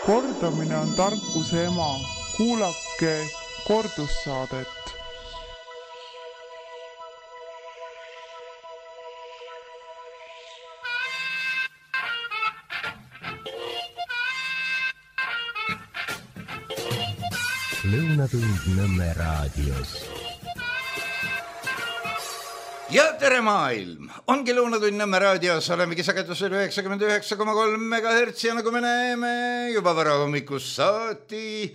Kordamine on tarkuse ema. Kuulake kordussaadet. Lõunatund Nõmme raadios. Ja tere maailm! Ongi Lõunatund Nõmme raadios, olemegi sagedusel 99,3 MHz ja nagu me näeme juba varahommikust saati,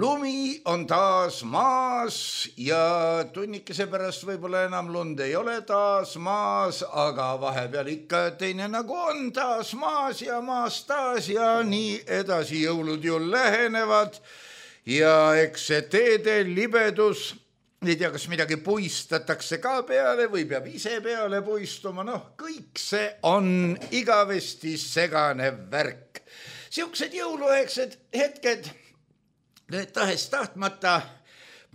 lumi on taas maas ja tunnikese pärast võib-olla enam lund ei ole taas maas, aga vahepeal ikka teine nagu on taas maas ja nii edasi, jõulud ju lähenevad. Ja eks see teede libedus, ei tea, kas midagi puistatakse ka peale või peab ise peale puistuma, kõik see on igavesti segane värk. Siuksed jõuluaegsed hetked, need tahes tahtmata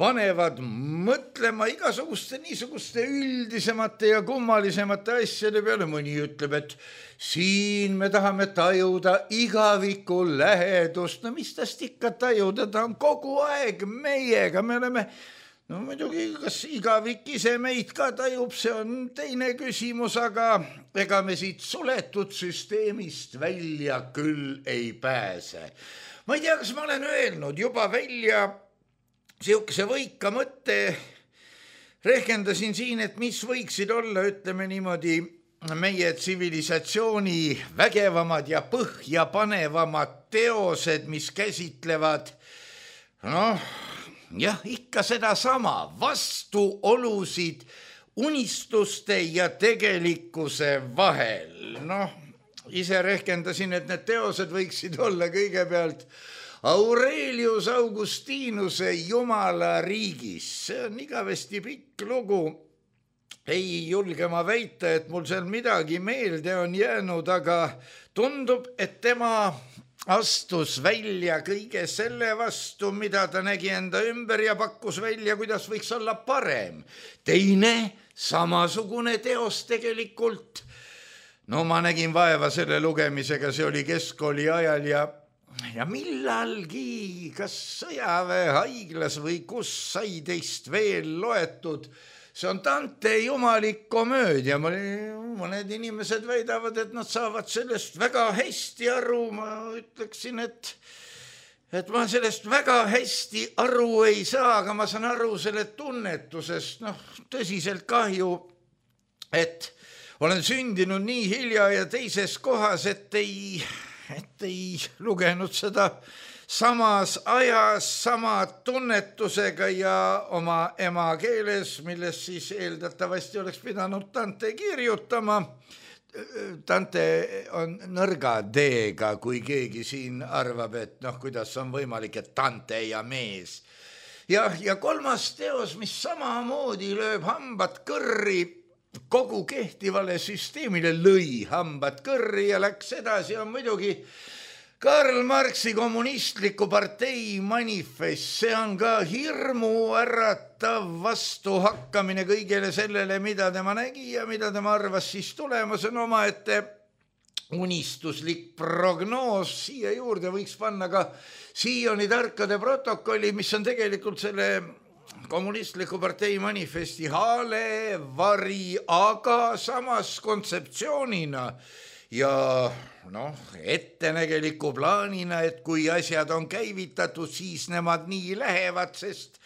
panevad mõtlema igasuguste niisuguste üldisemate ja kummalisemate asjade peale. Mõni ütleb, et siin me tahame tajuda igaviku lähedust. No mis tast ikka tajuda, ta on kogu aeg meiega. Me oleme, muidugi, kas igavik ise meid ka tajub, see on teine küsimus, aga ega me siit suletud süsteemist välja küll ei pääse. Ma ei tea, kas ma olen öelnud juba välja siukese võika mõtte, rehkendasin siin, et mis võiksid olla, ütleme niimoodi, meie tsivilisatsiooni vägevamad ja põhjapanevamad teosed, mis käsitlevad, ikka seda sama, vastuolusid unistuste ja tegelikkuse vahel. Ise rehkendasin, et need teosed võiksid olla kõigepealt Aurelius Augustinuse Jumala riigis. See on igavesti pikk lugu. Ei julge ma väita, et mul seal midagi meelde on jäänud, aga tundub, et tema astus välja kõige selle vastu, mida ta nägi enda ümber ja pakkus välja, kuidas võiks olla parem. Teine samasugune teos tegelikult. Ma nägin vaeva selle lugemisega, see oli keskkooli ajal ja millalgi, kas sõjaväehaiglas või kus sai teist veel loetud, see on Dante jumalik komöödia. Mõned inimesed väidavad, et nad saavad sellest väga hästi aru. Ma ütleksin, et ma sellest väga hästi aru ei saa, aga ma saan aru selle tunnetusest. Tõsiselt kahju, et olen sündinud nii hilja ja teises kohas, et ei lugenud seda samas ajas, sama tunnetusega ja oma emakeeles, milles siis eeldatavasti oleks pidanud Dante kirjutama. Dante on nõrga D-ga, kui keegi siin arvab, et kuidas on võimalik, et Dante ja mees. Ja kolmas teos, mis samamoodi lööb hambad kõrri, kogu kehtivale süsteemile lõi hambad kõrri ja läks edasi, on muidugi Karl Marxi kommunistliku partei manifest. See on ka hirmu äratav vastuhakkamine kõigele sellele, mida tema nägi ja mida tema arvas siis tulemas. On omaette unistuslik prognoos. Siia juurde võiks panna ka Sioni tarkade protokolli, mis on tegelikult selle kommunistliku partei manifesti haalevari, aga samas kontseptsioonina ja ettenägeliku plaanina, et kui asjad on käivitatud, siis nemad nii lähevad, sest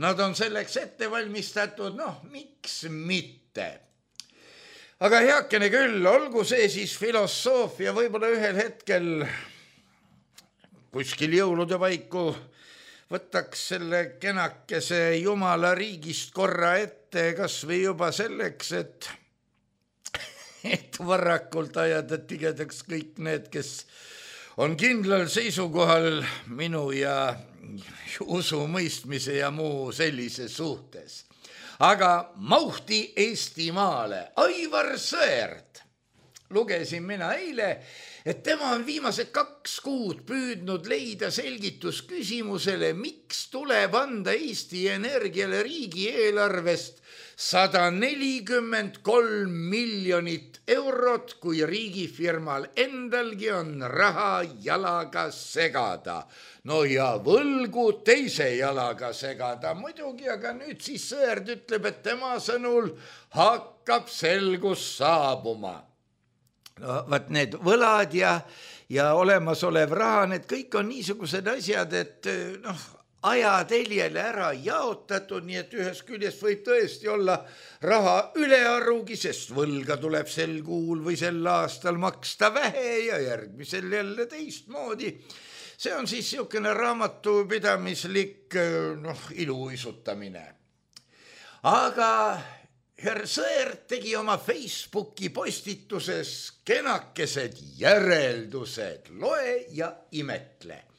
nad on selleks ette valmistatud, miks mitte. Aga heakene küll, olgu see siis filosoofia, võib-olla ühel hetkel kuskil jõulude paiku võtaks selle kenakese Jumala riigist korra ette, kas või juba selleks, et varakult ajada tigedaks kõik need, kes on kindlal seisukohal minu ja usu mõistmise ja muu sellise suhtes. Aga Mauhti Eestimaale, Aivar Sõerd, lugesin mina eile, et tema on viimased 2 kuud püüdnud leida selgitus küsimusele, miks tuleb anda Eesti Energiale riigieelarvest 143 miljonit eurot, kui riigifirmal endalgi on raha jalaga segada. No ja võlgu teise jalaga segada muidugi, aga nüüd siis Sõerd ütleb, et tema sõnul hakkab selgus saabuma. No vaat need võlad ja olemasolev raha, need kõik on niisugused asjad, et ajateljele ära jaotatud, nii et ühest küljest võib tõesti olla raha ülearugi, sest võlga tuleb sel kuul või sel aastal maksta vähe ja järgmisel jälle teistmoodi. See on siis niisugune raamatupidamislik iluuisutamine. Aga herr Sõerd tegi oma Facebooki postituses kenakesed järeldused, loe ja imetle.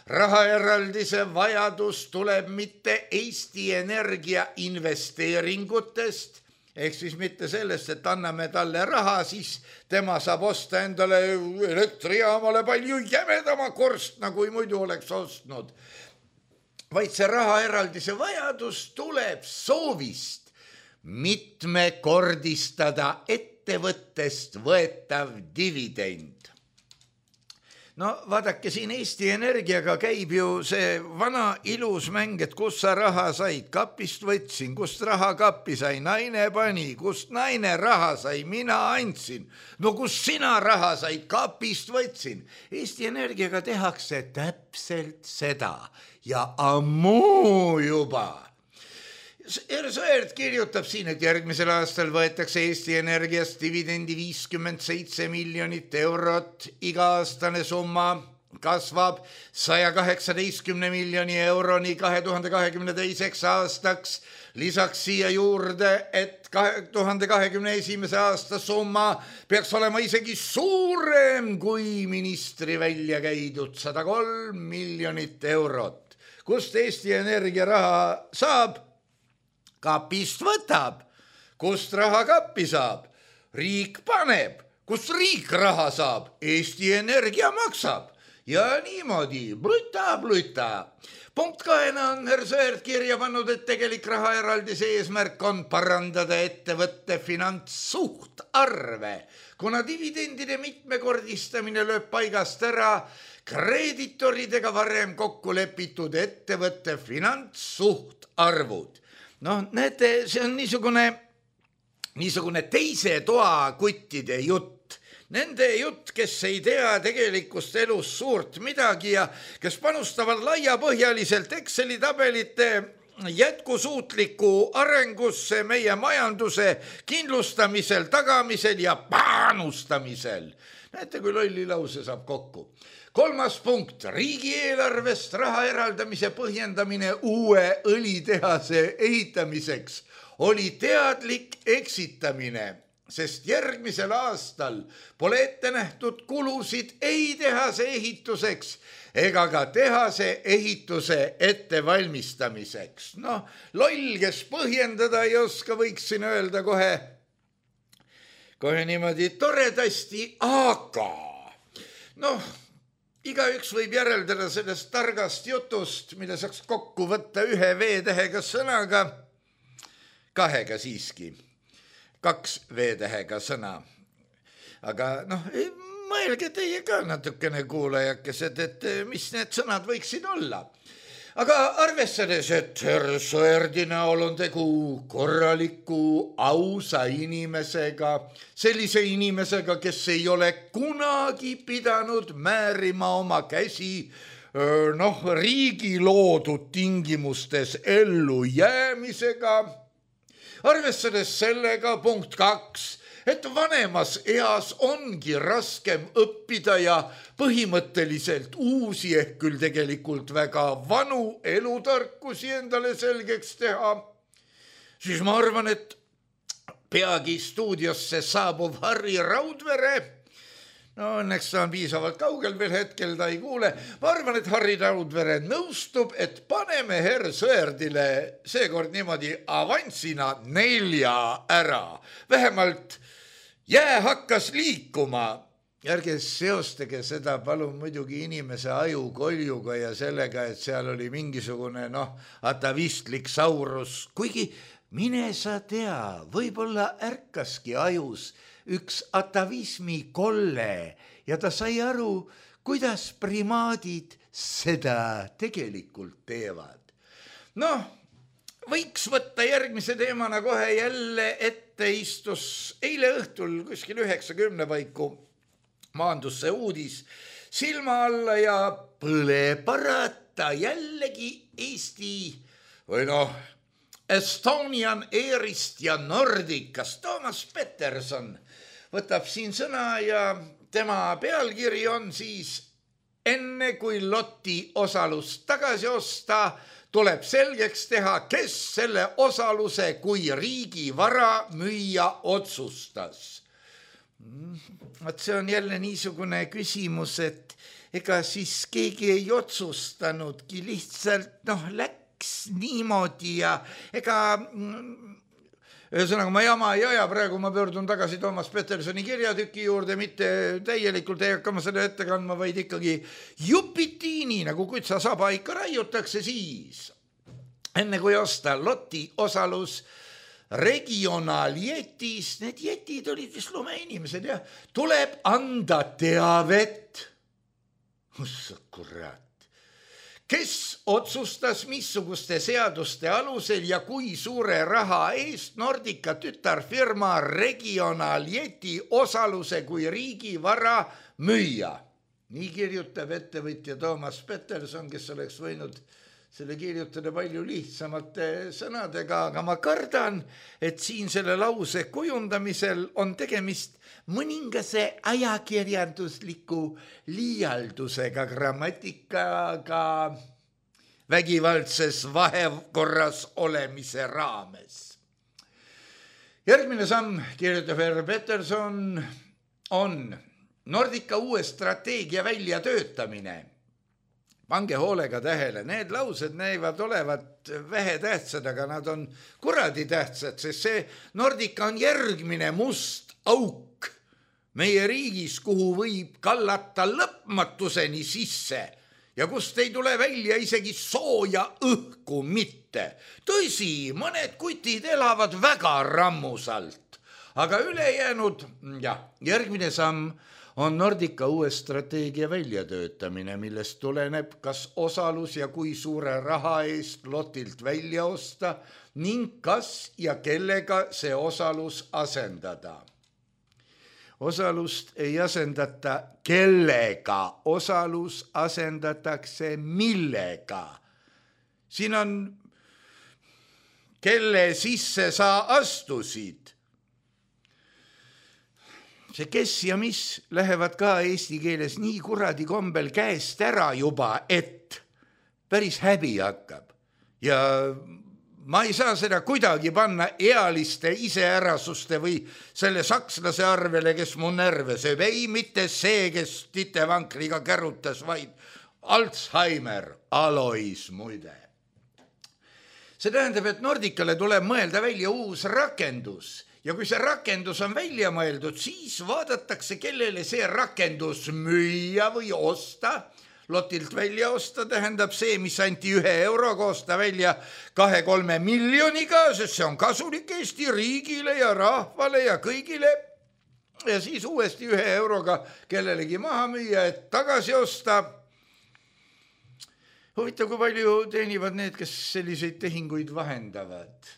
Rahaeraldise vajadus tuleb mitte Eesti Energia investeeringutest, ehk siis mitte sellest, et anname talle raha, siis tema saab osta endale elektrijaamale palju jämedama korstna, kui muidu oleks ostnud. Vaid see rahaeraldise vajadus tuleb soovist mitmekordistada ettevõttest võetav dividend. No vaadake, siin Eesti Energiaga käib ju see vana ilus mäng, et kust sa raha said, kapist võtsin, kust raha kappi sai, naine pani, kust naine raha sai, mina andsin. No kust sina raha said, kapist võtsin. Eesti Energiaga tehakse täpselt seda ja ammu juba. Sõerd kirjutab siin, et järgmisel aastal võetakse Eesti Energiast dividendi 57 miljonit eurot, iga-aastane summa kasvab 118 miljoni euroni 2022. aastaks. Lisaks siia juurde, et 2021. aasta summa peaks olema isegi suurem kui ministri välja käidud 103 miljonit eurot. Kust Eesti Energia raha saab? Kapist võtab, kust raha kappi saab, riik paneb, kust riik raha saab, Eesti Energia maksab ja niimoodi bluta. Punkt 2 on herr Sõerd kirja pannud, et tegelik rahaeraldise eesmärk on parandada ettevõtte finantssuhtarve, kuna dividendide mitmekordistamine lööb paigast ära kreeditoridega varem kokku lepitud ettevõtte finantssuhtarvud. Näete, see on niisugune teise toa kuttide jutt. Nende jutt, kes ei tea tegelikust elus suurt midagi ja kes panustavad laiapõhjaliselt Exceli tabelite jätkusuutliku arengusse, meie majanduse kindlustamisel, tagamisel ja panustamisel. Näete, kui lolli lause saab kokku. 3. punkt, riigieelarvest raha eraldamise põhjendamine uue õlitehase ehitamiseks oli teadlik eksitamine, sest järgmisel aastal pole ette nähtud kulusid ei tehase ehituseks ega ka tehase ehituse ettevalmistamiseks. Loll, kes põhjendada ei oska, võiks siin öelda kohe niimoodi toredasti, aga igaüks võib järeldada sellest targast jutust, mille saaks kokku võtta 1 V-tähega sõnaga, 2 siiski, 2 V-tähega sõna. Aga mõelge teie ka natukene kuulajakesed, et mis need sõnad võiksid olla. Aga arvestades, et herr Sõerdi näol on tegu korraliku ausa inimesega, sellise inimesega, kes ei ole kunagi pidanud määrima oma käsi riigi loodud tingimustes ellu jäämisega, arvestades sellega punkt 2, et vanemas eas ongi raskem õppida ja põhimõtteliselt uusi ehk küll tegelikult väga vanu elutarkusi endale selgeks teha, siis ma arvan, et peagi stuudiosse saabuv Harri Raudvere, õnneks ta on piisavalt kaugel veel hetkel, ta ei kuule, ma arvan, et Harri Raudvere nõustub, et paneme herr Sõerdile seekord niimoodi avansina 4 ära. Vähemalt jää hakkas liikuma. Ärge seostage seda palun muidugi inimese ajukoljuga ja sellega, et seal oli mingisugune atavistlik saurus, kuigi mine sa tea, võib-olla ärkaski ajus üks atavismi kolle ja ta sai aru, kuidas primaadid seda tegelikult teevad. Noh, võiks võtta järgmise teemana kohe jälle ette, istus eile õhtul kuskil 9:10 paiku maandus see uudis silma alla ja põle parata jällegi Eesti või noh, Estonian Airist ja Nordicast. Toomas Peterson võtab siin sõna ja tema pealkiri on siis: enne kui loti osalust tagasi osta, tuleb selgeks teha, kes selle osaluse kui riigi vara müüa otsustas. See on jälle niisugune küsimus, et ega siis keegi ei otsustanudki, lihtsalt läks niimoodi ja ega ühesõnaga ma jama ei aja, praegu ma pöördun tagasi Toomas Petersoni kirjatüki juurde, mitte täielikult ei hakka ma selle ette kandma, vaid ikkagi jupitiini, nagu kutsa saba ikka raiutakse siis. Enne kui osta loti osalus regionaaljetis, need jetid olid vist lumeinimesed ja tuleb anda teavet. Kurat. Kes otsustas, missuguste seaduste alusel ja kui suure raha eest Nordica tütarfirma regionaaljeti osaluse kui riigi vara müüa? Nii kirjutab ettevõtja Toomas Peterson, kes oleks võinud selle kirjutada palju lihtsamate sõnadega, aga ma kardan, et siin selle lause kujundamisel on tegemist mõningase ajakirjandusliku liialdusega, grammatikaga vägivaldses vahekorras olemise raames. Järgmine samm, kirjutab R. Peterson, on Nordica uue strateegia väljatöötamine. Pange hoolega tähele, need laused näivad olevat vähe tähtsad, aga nad on kuradi tähtsad, sest see Nordica on järgmine must auk meie riigis, kuhu võib kallata lõpmatuseni sisse ja kust ei tule välja isegi sooja õhku mitte. Tõsi, mõned kutid elavad väga rammusalt, aga ülejäänud, järgmine samm on Nordica uue strateegia väljatöötamine, millest tuleneb, kas osalus ja kui suure raha eest lotilt välja osta ning kas ja kellega see osalus asendada. Osalust ei asendata kellega, osalus asendatakse millega. Siin on, kelle sisse sa astusid. See kes ja mis lähevad ka eesti keeles nii kuradi kombel käest ära juba, et päris häbi hakkab. Ja ma ei saa seda kuidagi panna ealiste iseärasuste või selle sakslase arvele, kes mu närve sööb. Ei, mitte see, kes titevankriga kärutas, vaid Alzheimer, Alois muide. See tähendab, et Nordicale tuleb mõelda välja uus rakendus. Ja kui see rakendus on välja mõeldud, siis vaadatakse, kellele see rakendus müüa või osta. Lotilt välja osta tähendab see, mis anti 1 euroga, osta välja 2-3 miljoniga, sest see on kasulik Eesti riigile ja rahvale ja kõigile. Ja siis uuesti 1 euroga kellelegi maha müüa, et tagasi osta. Huvitav, kui palju teenivad need, kes selliseid tehinguid vahendavad.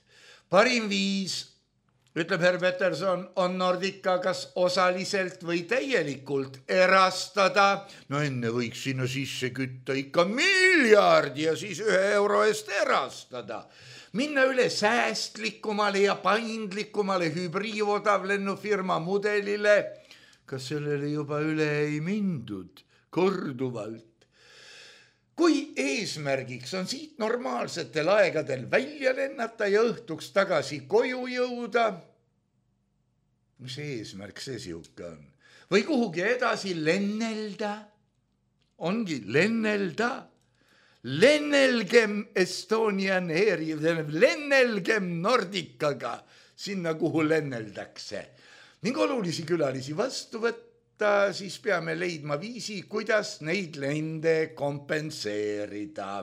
Parim viis, ütleb Herr Peterson, on Nordica kas osaliselt või täielikult erastada. No enne võiks sinna sisse kütta ikka miljardi ja siis 1 euro eest erastada. Minna üle säästlikumale ja paindlikumale hübriivodavlennufirma mudelile. Kas sellele juba üle ei mindud korduvalt? Kui eesmärgiks on siit normaalsetel aegadel välja lennata ja õhtuks tagasi koju jõuda, mis eesmärk see siuke on? Või kuhugi edasi lennelda? Ongi lennelda. Lennelgem Estonian Airi, lennelgem Nordicaga sinna, kuhu lenneldakse. Ning olulisi külalisi vastu võtta, siis peame leidma viisi, kuidas neid lende kompenseerida.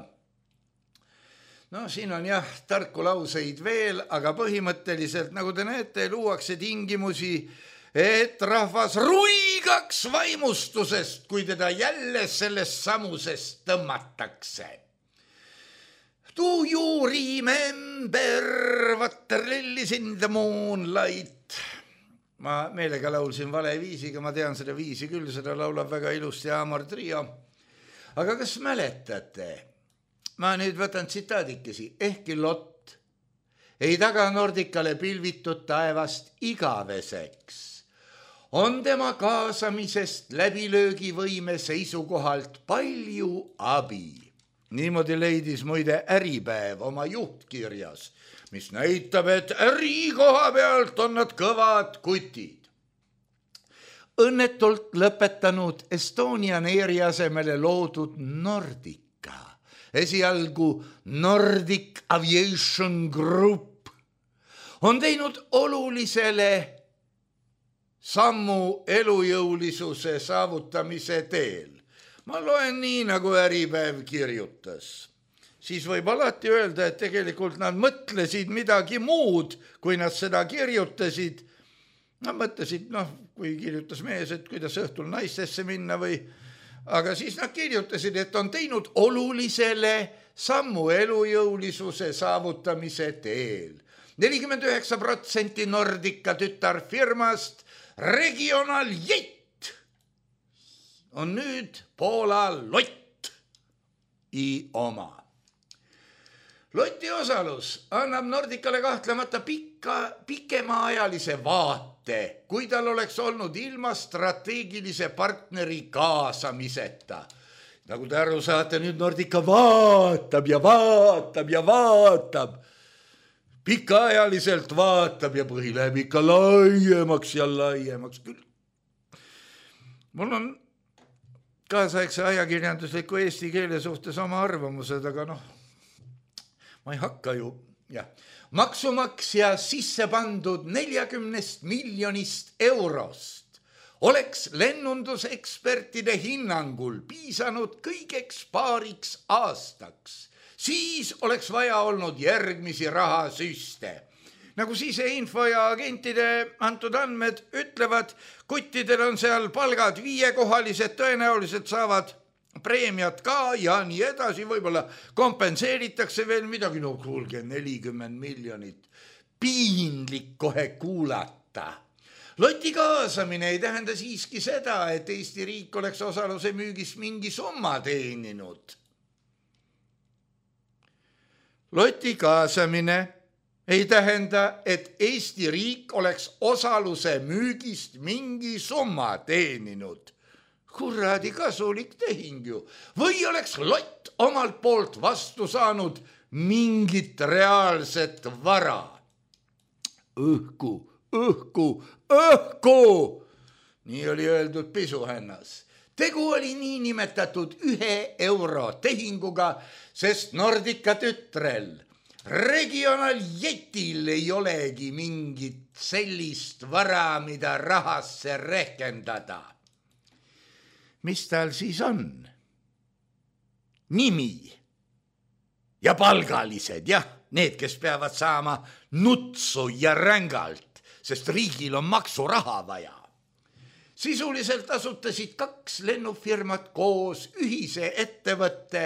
No siin on jah tarku lauseid veel, aga põhimõtteliselt, nagu te näete, luuakse tingimusi, et rahvas ruigaks vaimustusest, kui teda jälle sellest samusest tõmmatakse. Do you remember what rallies in the moonlight? Ma meelega laulsin vale viisiga, ma tean seda viisi küll, seda laulab väga ilusti Amor Trio. Aga kas mäletate? Ma nüüd võtan tsitaadikesi. Ehkki Lott ei taga Nordicale pilvitud taevast igaveseks, on tema kaasamisest läbilöögivõime seisukohalt palju abi. Niimoodi leidis muide Äripäev oma juhtkirjas, mis näitab, et ärikoha pealt on nad kõvad kutid. Õnnetult lõpetanud Estonian Airi asemele loodud Nordica, esialgu Nordic Aviation Group, on teinud olulisele sammu elujõulisuse saavutamise teel. Ma loen nii, nagu Äripäev kirjutas. Siis võib alati öelda, et tegelikult nad mõtlesid midagi muud, kui nad seda kirjutasid. Nad mõtlesid, kui kirjutas mees, et kuidas õhtul naistesse minna või... Aga siis nad kirjutasid, et on teinud olulisele sammu elujõulisuse saavutamise teel. 49% Nordica tütarfirmast Regional Jet on nüüd Poola Lott i oma. Loti osalus annab Nordicale kahtlemata pikemaajalise vaate, kui tal oleks olnud ilma strateegilise partneri kaasamiseta. Nagu te aru saate, nüüd Nordica vaatab ja vaatab ja vaatab. Pikaajaliselt vaatab ja põhi läheb ikka laiemaks ja laiemaks küll. Mul on kaasaegse ajakirjandusliku eesti keele suhtes oma arvamused, aga ma ei hakka ju. Maksumaksja sisse pandud 40 miljonist eurost oleks lennundusekspertide hinnangul piisanud kõigeks paariks aastaks. Siis oleks vaja olnud järgmisi rahasüste. Nagu info ja agentide antud andmed ütlevad, kuttidel on seal palgad 5-kohalised, tõenäoliselt saavad preemiat ka ja nii edasi, võib-olla kompenseeritakse veel midagi, kuulge 40 miljonit, piinlik kohe kuulata. Loti kaasamine ei tähenda siiski seda, et Eesti riik oleks osaluse müügis mingi summa teeninud. Loti kaasamine ei tähenda, et Eesti riik oleks osaluse müügist mingi summa teeninud. Kuradi kasulik tehing ju. Või oleks Lott omalt poolt vastu saanud mingit reaalset vara. Õhku. Nii oli öeldud pisuhännas. Tegu oli nii nimetatud 1 euro tehinguga, sest Nordica tütrel Regional Jetil ei olegi mingit sellist vara, mida rahasse rehkendada. Mis tal siis on? Nimi ja palgalised, need, kes peavad saama nutsu ja rängalt, sest riigil on maksuraha vaja. Sisuliselt asutasid 2 lennufirmat koos ühise ettevõtte,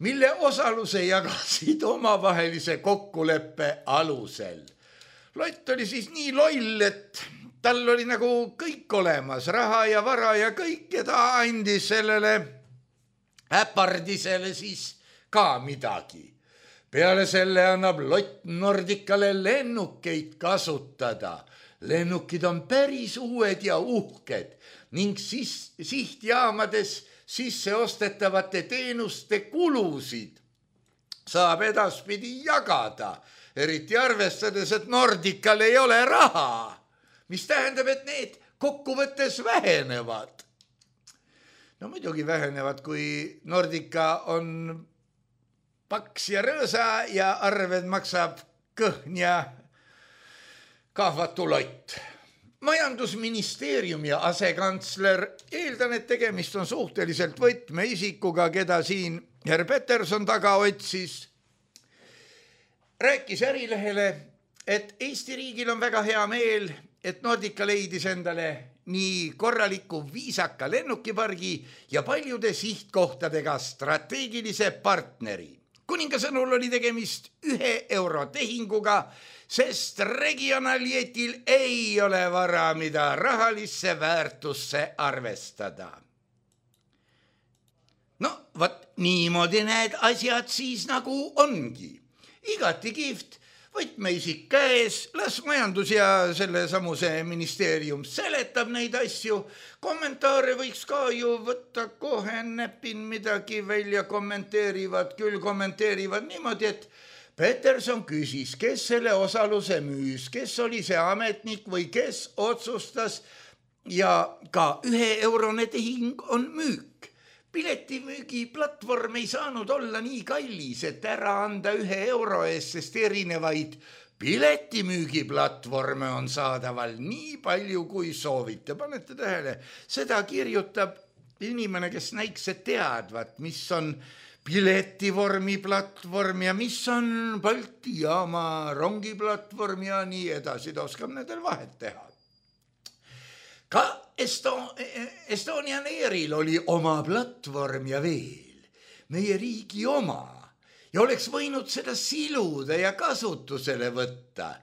mille osaluse jagasid omavahelise kokkuleppe alusel. Lott oli siis nii loll, et tal oli nagu kõik olemas, raha ja vara ja kõik, ja ta andis sellele äpardisele siis ka midagi. Peale selle annab Lott Nordicale lennukeid kasutada. Lennukid on päris uued ja uhked ning sihtjaamades sisse ostetavate teenuste kulusid saab edaspidi jagada, eriti arvestades, et Nordical ei ole raha, mis tähendab, et need kokkuvõttes vähenevad. No muidugi vähenevad, kui Nordica on paks ja rõõsa ja arved maksab kõhn ja kahvatu Lott. Majandusministeeriumi asekantsler, eeldan, et tegemist on suhteliselt võtmeisikuga, keda siin herr Peterson taga otsis, rääkis Ärilehele, et Eesti riigil on väga hea meel, et Nordica leidis endale nii korraliku viisaka lennukipargi ja paljude sihtkohtadega strateegilise partneri. Kuninga sõnul oli tegemist €1 tehinguga, sest Regionaljetil ei ole vara, mida rahalisse väärtusse arvestada. No, vaat niimoodi need asjad siis nagu ongi. Igati kihvt, võtmeisik käes, las majandus ja selle samuse ministeerium seletab neid asju. Kommentaare võiks ka ju võtta kohe, näpin midagi välja, kommenteerivad niimoodi, et Peterson küsis, kes selle osaluse müüs, kes oli see ametnik või kes otsustas ja ka €1 tehing on müük. Piletimüügiplatvorm ei saanud olla nii kallis, et ära anda €1 eest, sest erinevaid piletimüügiplatvorme on saadaval nii palju, kui soovite. Panete tähele, seda kirjutab inimene, kes näiks, et teadvat, mis on piletivormi platvorm ja mis on Balti jaama rongiplatvorm ja nii edasi. Ta oskab nendel vahet teha. Ka Estonian Airil oli oma platvorm ja veel meie riigi oma ja oleks võinud seda siluda ja kasutusele võtta.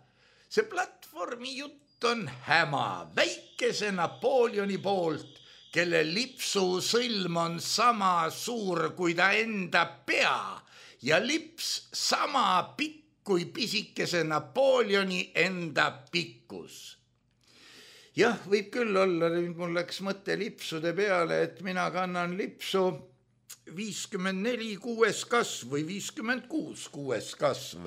See platvormi jutt on häma väikese Napoleoni poolt, kelle lipsu sõlm on sama suur kui ta enda pea ja lips sama pikk kui pisikese Napoleoni enda pikkus. Jah, võib küll olla, mul läks mõte lipsude peale, et mina kannan lipsu 54 6. kasv või 56 6. kasv.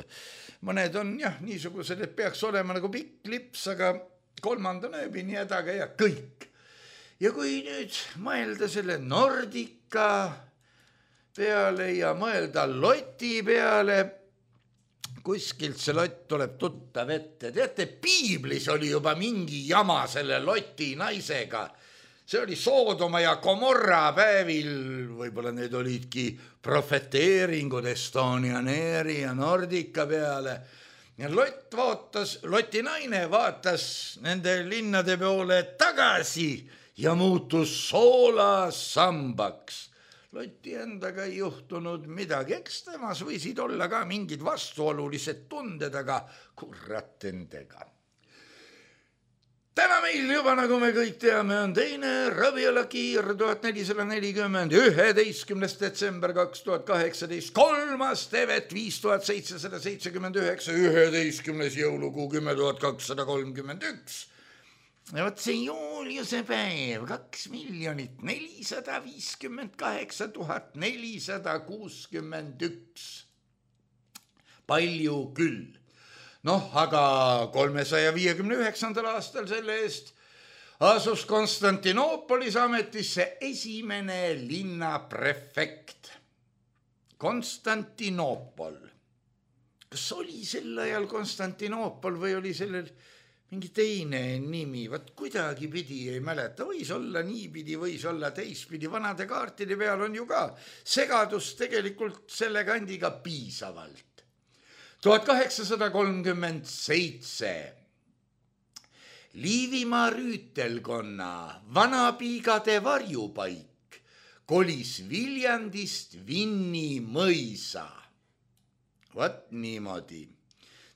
Mõned on jah niisugused, et peaks olema nagu pikk lips, aga 3. nööbini hädaga ja kõik. Ja kui nüüd mõelda selle Nordica peale ja mõelda loti peale, kuskilt see lott tuleb tuttav ette. Teate, piiblis oli juba mingi jama selle loti naisega. See oli Soodoma ja Gomorra päevil, võib-olla need olidki profeteeringud Estonian Airi ja Nordica peale. Ja loti naine vaatas nende linnade poole tagasi ja muutus soolasambaks. Loti endaga ei juhtunud midagi, eks temas võisid olla ka mingid vastuolulised tunded, aga kurat endega. Täna meil juba, nagu me kõik teame, on teine Raviola Kiir 1440, 11. detsember 2018, 3. tevet 5779, 11. jõulukuu 10 231. Ja võt see Juliuse päev, 2 458 461. Palju küll. Noh, aga 359. aastal selle eest asus Konstantinoopolis ametisse esimene linnaprefekt. Konstantinoopol. Kas oli sel ajal Konstantinoopol või oli sellel mingi teine nimi, vaat kuidagi pidi ei mäleta, võis olla niipidi, võis olla teistpidi, vanade kaartide peal on ju ka segadust tegelikult selle kandiga piisavalt. 1837 Liivimaa rüütelkonna Vanapiigade varjupaik kolis Viljandist Vinni mõisa. Vat niimoodi.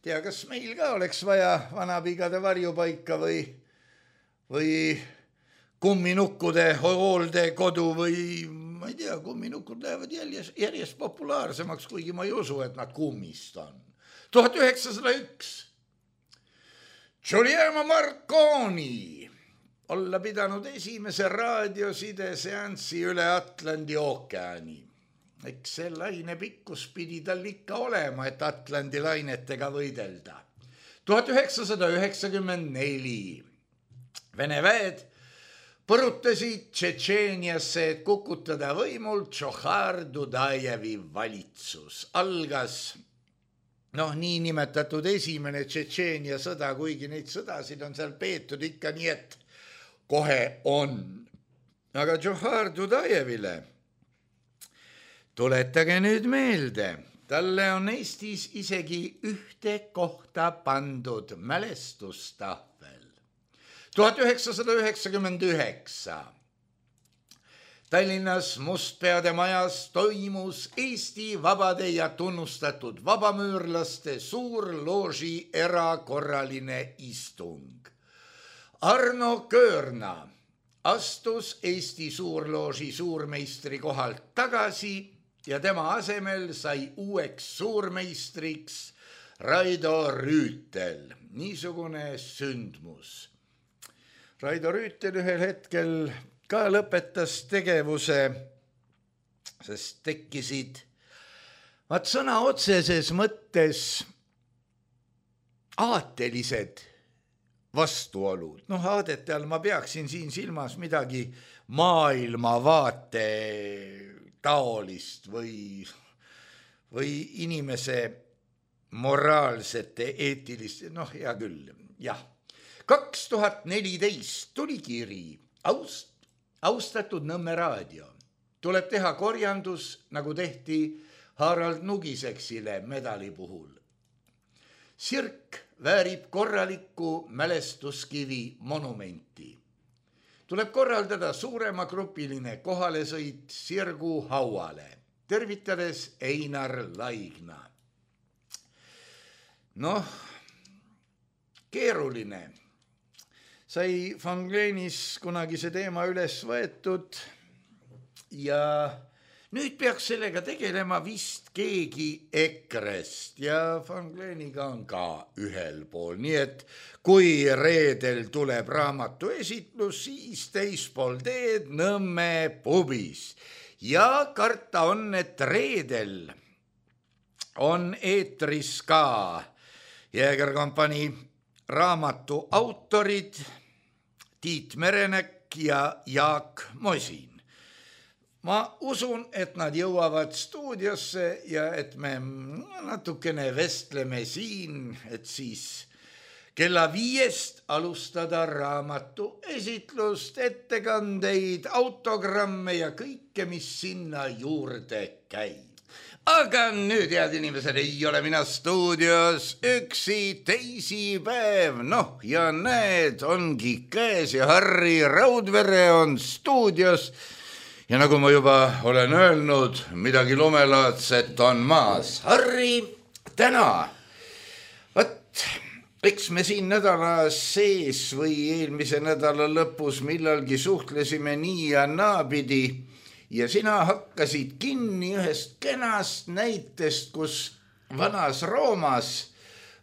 Tea, kas meil ka oleks vaja Vanapiigade varjupaika või kumminukkude hooldekodu või ma ei tea, kumminukud lähevad järjest populaarsemaks, kuigi ma ei usu, et nad kummist on. 1901 Giuliano Marconi olla pidanud esimese raadiosideseanssi üle Atlandi ookeani. Eks see laine pikkus pidi tal ikka olema, et Atlandi lainetega võidelda. 1994 Vene väed põrutasid Tšetšeeniasse, et kukutada võimult Džohar Dudajevi valitsus. Algas niinimetatud esimene Tšetšeenia sõda, kuigi neid sõdasid on seal peetud ikka nii, et kohe on. Aga Džohar Dudajevile tuletage nüüd meelde, talle on Eestis isegi ühte kohta pandud mälestustahvel. 1999 Tallinnas Mustpeade majas toimus Eesti vabade ja tunnustatud vabamüürlaste suurlooži erakorraline istung. Arno Köörna astus Eesti suurlooži suurmeistri kohalt tagasi ja tema asemel sai uueks suurmeistriks Raido Rüütel. Niisugune sündmus. Raido Rüütel ühel hetkel ka lõpetas tegevuse, sest tekkisid sõna otseses mõttes aatelised vastuolud. Aadete all ma peaksin siin silmas midagi maailmavaate taolist või inimese moraalsete, eetiliste, hea küll, jah. 2014 tuli kiri, austatud Nõmme raadio, tuleb teha korjandus, nagu tehti Harald Nugiseksile medali puhul. Sirk väärib korralikku mälestuskivi monumenti. Tuleb korraldada suurema grupiline kohalesõit Sirgu hauale, tervitades Einar Laigna. Keeruline. Sai Van Gleenis kunagi see teema üles võetud ja nüüd peaks sellega tegelema vist keegi EKRE-st ja Van Gleeniga on ka ühel pool. Nii et kui reedel tuleb raamatu esitlus, siis teispool teed Nõmme pubis. Ja karta on, et reedel on eetris ka Jägerkompanii raamatu autorid Tiit Merenek ja Jaak Mosin. Ma usun, et nad jõuavad stuudiosse ja et me natukene vestleme siin, et siis kella 5 alustada raamatu esitlust, ettekandeid, autogramme ja kõike, mis sinna juurde käib. Aga nüüd, head inimesed, ei ole mina stuudios üksi teisipäev. Ja näed, ongi käes ja Harri Raudvere on stuudios. Ja nagu ma juba olen öelnud, midagi lumelaadset on maas. Harri, täna. Eks me siin nädala sees või eelmise nädala lõpus millalgi suhtlesime nii ja naapidi. Ja sina hakkasid kinni ühest kenast näitest, kus vanas Roomas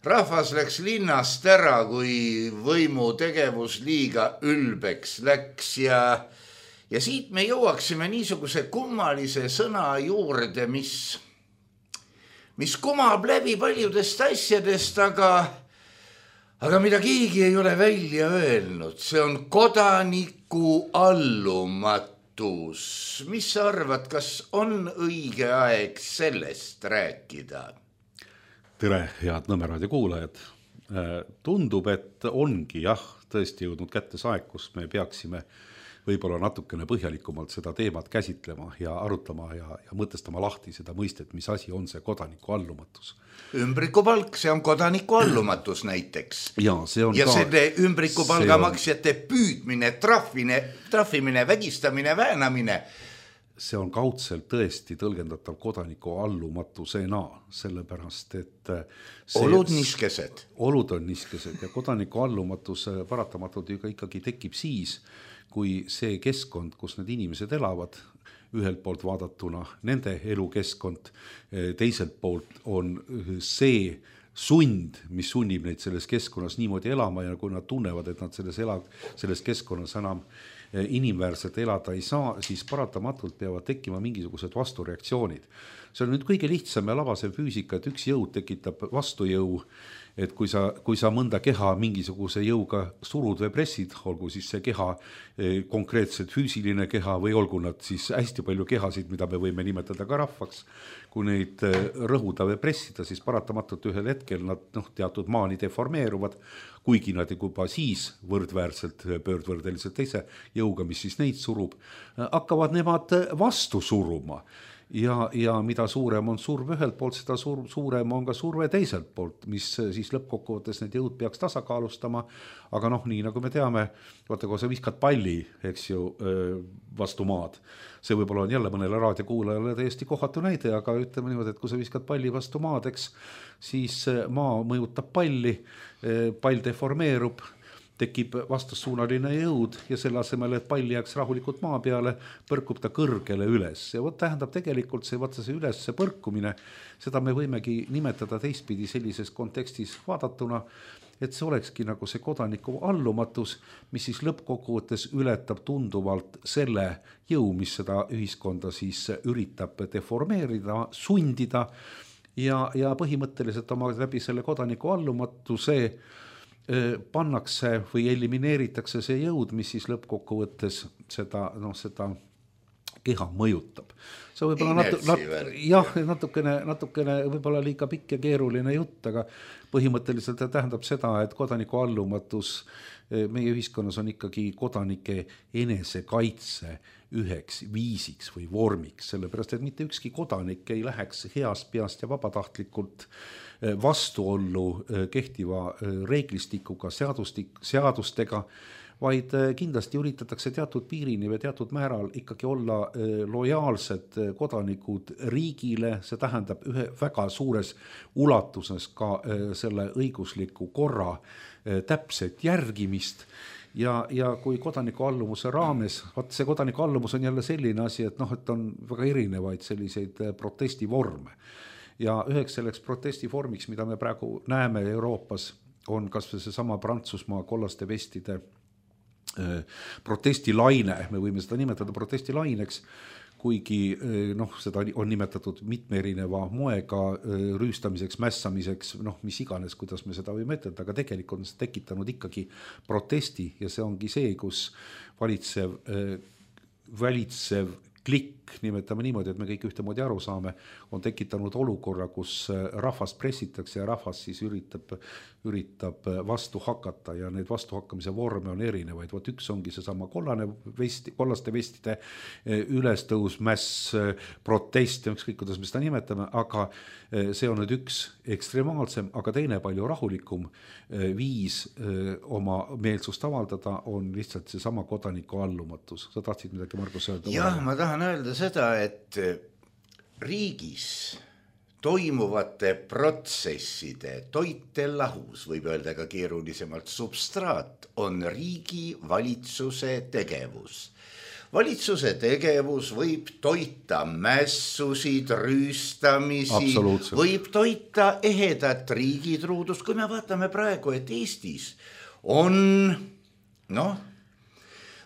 rahvas läks linnast ära, kui võimu tegevus liiga ülbeks läks ja siit me jõuaksime niisuguse kummalise sõna juurde, mis kumab läbi paljudest asjadest, aga mida keegi ei ole välja öelnud. See on kodaniku allumatus. Mis sa arvad, kas on õige aeg sellest rääkida? Tere, head Nõmme raadio kuulajad. Tundub, et ongi tõesti jõudnud kätte see aeg, kus me peaksime võib-olla natukene põhjalikumalt seda teemat käsitlema ja arutama ja mõtestama lahti seda mõistet, mis asi on see kodaniku allumatus. Ümbrikupalk, see on kodaniku allumatus näiteks. Ja selle ümbrikupalga maksjate püüdmine, trahvimine, vägistamine, väänamine. See on kaudselt tõesti tõlgendatav kodaniku allumatusena, sellepärast, et olud niskesed. Olud on niskesed ja kodaniku allumatus paratamatult ikkagi tekib siis, kui see keskkond, kus need inimesed elavad, ühelt poolt vaadatuna nende elukeskkond, teiselt poolt on see sund, mis sunnib neid selles keskkonnas niimoodi elama ja kui nad tunnevad, et nad selles keskkonnas enam inimväärselt elada ei saa, siis paratamatult peavad tekkima mingisugused vastureaktsioonid. See on nüüd kõige lihtsam ja labasem füüsika, et üks jõud tekitab vastujõu, et kui sa mõnda keha mingisuguse jõuga surud või pressid, olgu siis see keha konkreetselt füüsiline keha või olgu nad siis hästi palju kehasid, mida me võime nimetada ka rahvaks, kui neid rõhuda või pressida, siis paratamatult ühel hetkel nad teatud maani deformeeruvad, kuigi nad juba siis võrdväärselt pöördvõrdeliselt teise jõuga, mis siis neid surub, hakkavad nemad vastu suruma. ja mida suurem on surve ühelt poolt, seda suurem on ka surve teiselt poolt, mis siis lõppkokkuvõttes need jõud peaks tasakaalustama, aga noh, nii nagu me teame, vaata, kui sa viskad palli, eks ju, vastu maad, see võib-olla on jälle mõnele raadiokuulajale täiesti kohatu näide, aga ütleme niimoodi, et kui sa viskad palli vastu maad, eks, siis maa mõjutab palli, pall deformeerub, tekib vastassuunaline jõud ja selle asemel, et pall jääks rahulikult maa peale, põrkub ta kõrgele üles. Ja tähendab tegelikult see ülesse põrkumine, seda me võimegi nimetada teistpidi sellises kontekstis vaadatuna, et see olekski nagu see kodaniku allumatus, mis siis lõppkokkuvõttes ületab tunduvalt selle jõu, mis seda ühiskonda siis üritab deformeerida, sundida ja põhimõtteliselt oma läbi selle kodaniku allumatuse pannakse või elimineeritakse see jõud, mis siis lõppkokkuvõttes seda keha mõjutab. See võib-olla natukene võib-olla liiga pikk ja keeruline jutt, aga põhimõtteliselt tähendab seda, et kodaniku allumatus meie ühiskonnas on ikkagi kodanike enesekaitse üheks viisiks või vormiks, sellepärast et mitte ükski kodanik ei läheks heast peast ja vabatahtlikult vastuollu kehtiva reeglistikuga, seadustega, vaid kindlasti üritatakse teatud piirini või teatud määral ikkagi olla lojaalsed kodanikud riigile, see tähendab ühe väga suures ulatuses ka selle õigusliku korra täpset järgimist ja kui kodaniku allumuse raames, see kodaniku allumus on jälle selline asi, et et on väga erinevaid selliseid protestivorme ja üheks selleks protestivormiks, mida me praegu näeme Euroopas, on kas või seesama Prantsusmaa kollaste vestide protestilaine, me võime seda nimetada protestilaineks, kuigi seda on nimetatud mitme erineva moega rüüstamiseks, mässamiseks, mis iganes, kuidas me seda võime ütelda, aga tegelikult on see tekitanud ikkagi protesti ja see ongi see, kus valitsev klikk, nimetame niimoodi, et me kõik ühtemoodi aru saame, on tekitanud olukorra, kus rahvast pressitakse ja rahvas siis üritab vastu hakata ja need vastuhakkamise vorme on erinevaid. Vot üks ongi seesama kollaste vestide ülestõus, mäss, protest, ükskõik kuidas me seda nimetame, aga see on nüüd üks ekstremaalsem, aga teine palju rahulikum viis oma meelsust avaldada on lihtsalt seesama kodaniku allumatus. Sa tahtsid midagi, Margus, öelda? Jah, ma tahan öelda seda, et riigis toimuvate protsesside toitelahus, võib öelda ka keerulisemalt substraat, on riigi valitsuse tegevus. Valitsuse tegevus võib toita mässusid, rüüstamisi, võib toita ehedat riigitruudust. Kui me vaatame praegu, et Eestis on,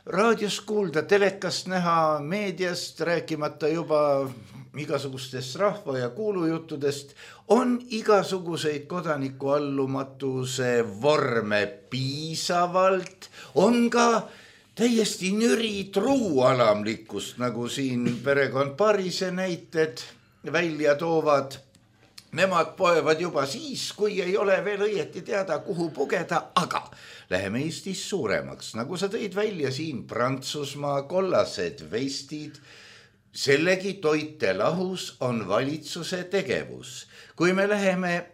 raadios kuulda, telekast näha, meediast, rääkimata juba igasugustest rahva- ja kuulujuttudest, on igasuguseid kodaniku allumatuse vorme piisavalt, on ka täiesti nüri truualamlikkust, nagu siin perekond Parise näited välja toovad. Nemad poevad juba siis, kui ei ole veel õieti teada, kuhu pugeda, aga läheme Eestis suuremaks. Nagu sa tõid välja siin Prantsusmaa kollased vestid, sellegi toitelahus on valitsuse tegevus. Kui me läheme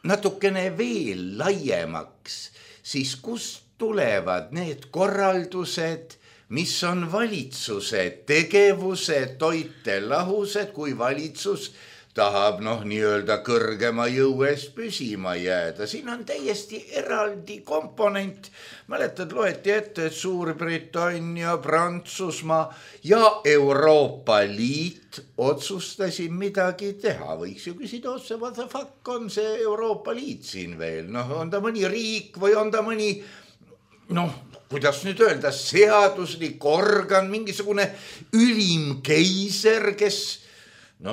natukene veel laiemaks, siis kust tulevad need korraldused, mis on valitsuse tegevuse toitelahused, kui valitsus tahab nii-öelda kõrgema jõu ees püsima jääda. Siin on täiesti eraldi komponent. Mäletad, loeti ette, et Suurbritannia, Prantsusmaa ja Euroopa Liit otsustasid midagi teha. Võiks ju küsida otse, what the fuck on see Euroopa Liit siin veel? On ta mõni riik või on ta mõni, kuidas nüüd öelda, seaduslik organ, mingisugune ülim keiser, kes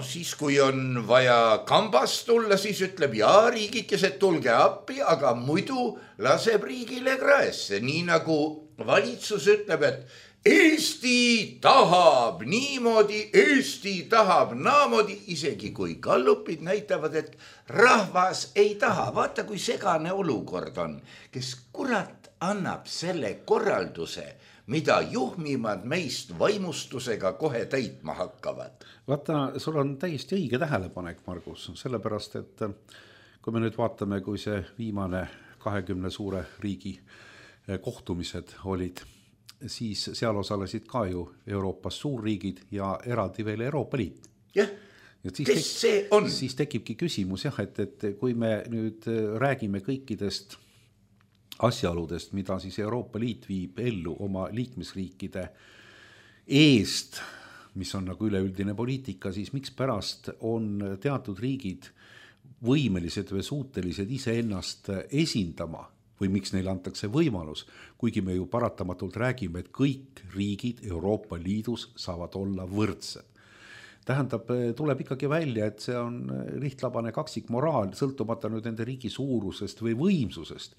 siis kui on vaja kambast tulla, siis ütleb riigikesed tulge appi, aga muidu laseb riigile kraesse. Nii nagu valitsus ütleb, et Eesti tahab niimoodi, Eesti tahab naamoodi, isegi kui gallupid näitavad, et rahvas ei taha. Vaata, kui segane olukord on, kes kurat annab selle korralduse mida juhmimad meist vaimustusega kohe täitma hakkavad. Vaata, sul on täiesti õige tähelepanek, Margus, sellepärast, et kui me nüüd vaatame, kui see viimane 20 suure riigi kohtumised olid, siis seal osalesid ka ju Euroopas suurriigid ja eraldi veel Euroopa Liit. Jah, kes see on? Siis tekibki küsimus, jah, et kui me nüüd räägime kõikidest asjaoludest, mida siis Euroopa Liit viib ellu oma liikmesriikide eest, mis on nagu üleüldine poliitika, siis miks pärast on teatud riigid võimelised või suutelised iseennast esindama või miks neile antakse võimalus, kuigi me ju paratamatult räägime, et kõik riigid Euroopa Liidus saavad olla võrdsed. Tähendab, tuleb ikkagi välja, et see on lihtlabane kaksikmoraal, sõltumata nüüd nende riigi suurusest või võimsusest.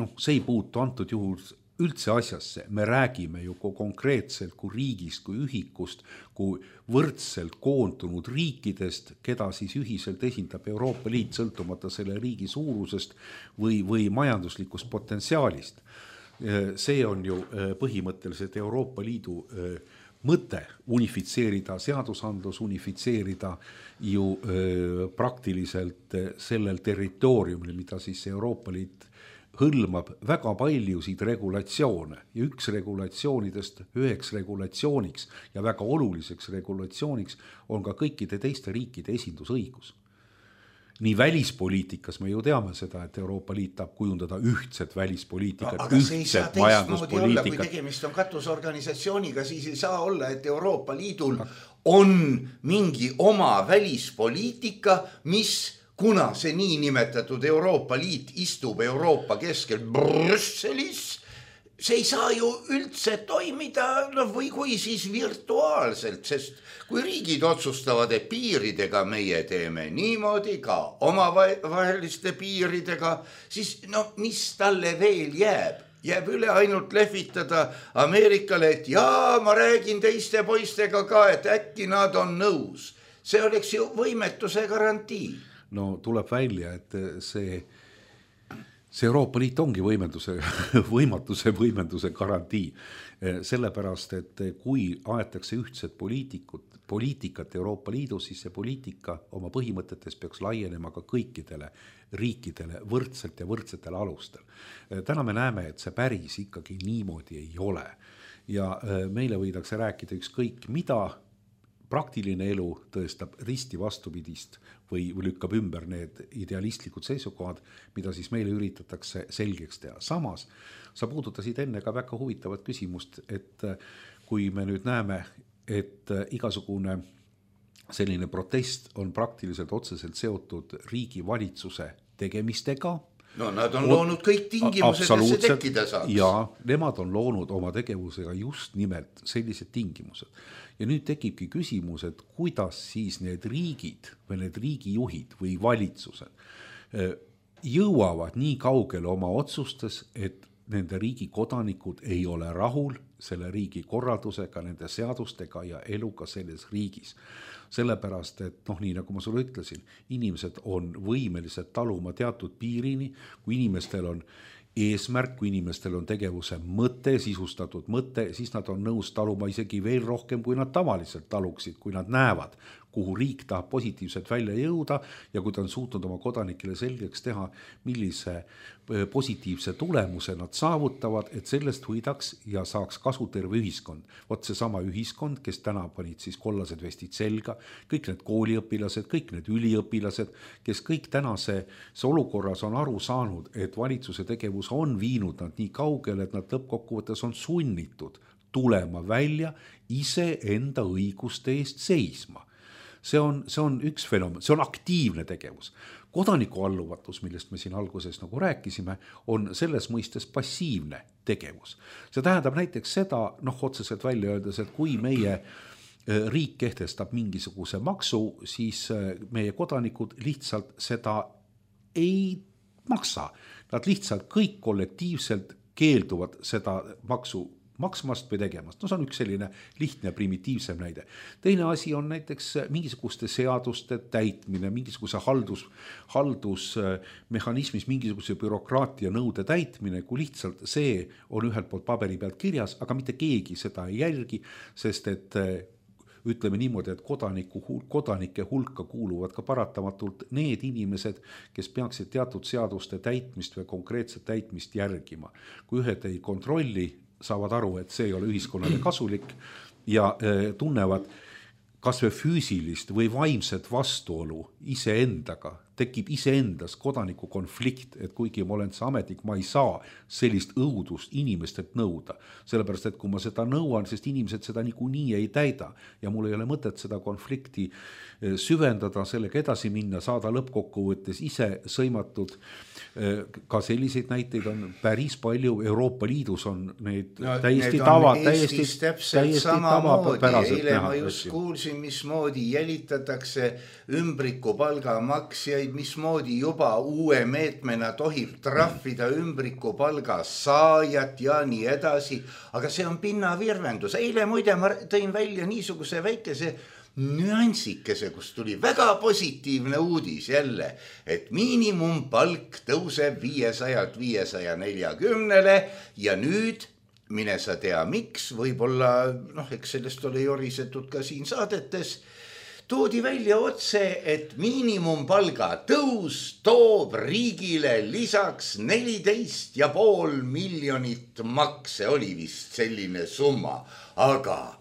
Noh, see ei puutu antud juhul üldse asjasse, me räägime ju konkreetselt kui riigist, kui ühikust, kui võrdselt koondunud riikidest, keda siis ühiselt esindab Euroopa Liit sõltumata selle riigi suurusest või majanduslikust potentsiaalist. See on ju põhimõtteliselt Euroopa Liidu mõte unifitseerida seadusandlus, unifitseerida ju praktiliselt sellel territooriumil, mida siis Euroopa Liit hõlmab väga paljusid regulatsioone ja üheks regulatsiooniks ja väga oluliseks regulatsiooniks on ka kõikide teiste riikide esindusõigus. Nii välispoliitikas me ju teame seda, et Euroopa Liit tahab kujundada ühtset välispoliitikat, aga see ei saa ühtset teistmoodi olla, kui tegemist on katusorganisatsiooniga, siis ei saa olla, et Euroopa Liidul on mingi oma välispoliitika, mis kuna see niinimetatud Euroopa Liit istub Euroopa keskel Brüsselis, see ei saa ju üldse toimida, või kui siis virtuaalselt, sest kui riigid otsustavad, et piiridega meie teeme niimoodi ka omavaheliste piiridega, siis mis talle veel jääb? Jääb üle ainult lehvitada Ameerikale, et jaa, ma räägin teiste poistega ka, et äkki nad on nõus. See oleks ju võimetuse garantii. No tuleb välja, et see Euroopa Liit ongi võimenduse garantii. Sellepärast, et kui aetakse ühtset poliitikat Euroopa Liidus, siis see poliitika oma põhimõtetes peaks laienema ka kõikidele riikidele võrdselt ja võrdsetel alustel. Täna me näeme, et see päris ikkagi niimoodi ei ole. Ja meile võidakse rääkida ükskõik mida, praktiline elu tõestab risti vastupidist või lükkab ümber need idealistlikud seisukohad, mida siis meile üritatakse selgeks teha. Samas, sa puudutasid enne ka väga huvitavat küsimust, et kui me nüüd näeme, et igasugune selline protest on praktiliselt otseselt seotud riigi valitsuse tegemistega, no nad on loonud kõik tingimused, et see tekkida saaks. Ja nemad on loonud oma tegevusega just nimelt sellised tingimused. Ja nüüd tekibki küsimus, et kuidas siis need riigid või need riigijuhid või valitsused jõuavad nii kaugele oma otsustes, et nende riigi kodanikud ei ole rahul selle riigi korraldusega, nende seadustega ja eluga selles riigis. Sellepärast, et nii nagu ma sulle ütlesin, inimesed on võimelised taluma teatud piirini, kui inimestel on eesmärk, kui inimestel on tegevuse mõte, sisustatud mõte, siis nad on nõus taluma isegi veel rohkem, kui nad tavaliselt taluksid, kui nad näevad, kuhu riik tahab positiivselt välja jõuda ja kui ta on suutnud oma kodanikele selgeks teha, millise positiivse tulemuse nad saavutavad, et sellest võidaks ja saaks kasu terve ühiskond. Vot see sama ühiskond, kes täna panid siis kollased vestid selga, kõik need kooliõpilased, kõik need üliõpilased, kes kõik tänase olukorras on aru saanud, et valitsuse tegevus on viinud nad nii kaugele, et nad lõppkokkuvõttes on sunnitud tulema välja ise enda õiguste eest seisma. See on üks fenomen, see on aktiivne tegevus. Kodaniku alluvatus, millest me siin alguses nagu rääkisime, on selles mõistes passiivne tegevus. See tähendab näiteks seda, otseselt välja öeldes, et kui meie riik kehtestab mingisuguse maksu, siis meie kodanikud lihtsalt seda ei maksa. Nad lihtsalt kõik kollektiivselt keelduvad seda maksu maksmast või tegemast. No see on üks selline lihtne primitiivsem näide. Teine asi on näiteks mingisuguste seaduste täitmine, mingisuguse haldusmehhanismis mingisuguse bürokraatia nõude täitmine, kui lihtsalt see on ühelt poolt paberi pealt kirjas, aga mitte keegi seda ei jälgi, sest et ütleme niimoodi, et kodanike hulka kuuluvad ka paratamatult need inimesed, kes peaksid teatud seaduste täitmist või konkreetset täitmist järgima. Kui ühed ei kontrolli, saavad aru, et see ei ole ühiskonnale kasulik ja tunnevad kas või füüsilist või vaimset vastuolu iseendaga, tekib iseendas kodaniku konflikt, et kuigi ma olen see ametnik, ma ei saa sellist õudust inimestelt nõuda. Sellepärast, et kui ma seda nõuan, sest inimesed seda niikuinii ei täida ja mul ei ole mõtet seda konflikti süvendada, sellega edasi minna, saada lõppkokkuvõttes ise sõimatud. Ka selliseid näiteid on päris palju, Euroopa Liidus on neid täiesti tavapäraselt eile ma just kuulsin, mismoodi jälitatakse ümbrikupalga maksjaid, mismoodi juba uue meetmena tohib trahvida ümbrikupalga saajat ja nii edasi, aga see on pinnavirvendus. Eile muide ma tõin välja niisuguse väikese nüansikese, kus tuli väga positiivne uudis jälle, et miinimumpalk tõuseb 500-540 ja nüüd mine sa tea miks, võib-olla, eks sellest ole jorisetud ka siin saadetes, toodi välja otse, et miinimumpalga tõus toob riigile lisaks 14,5 miljonit makse, oli vist selline summa, aga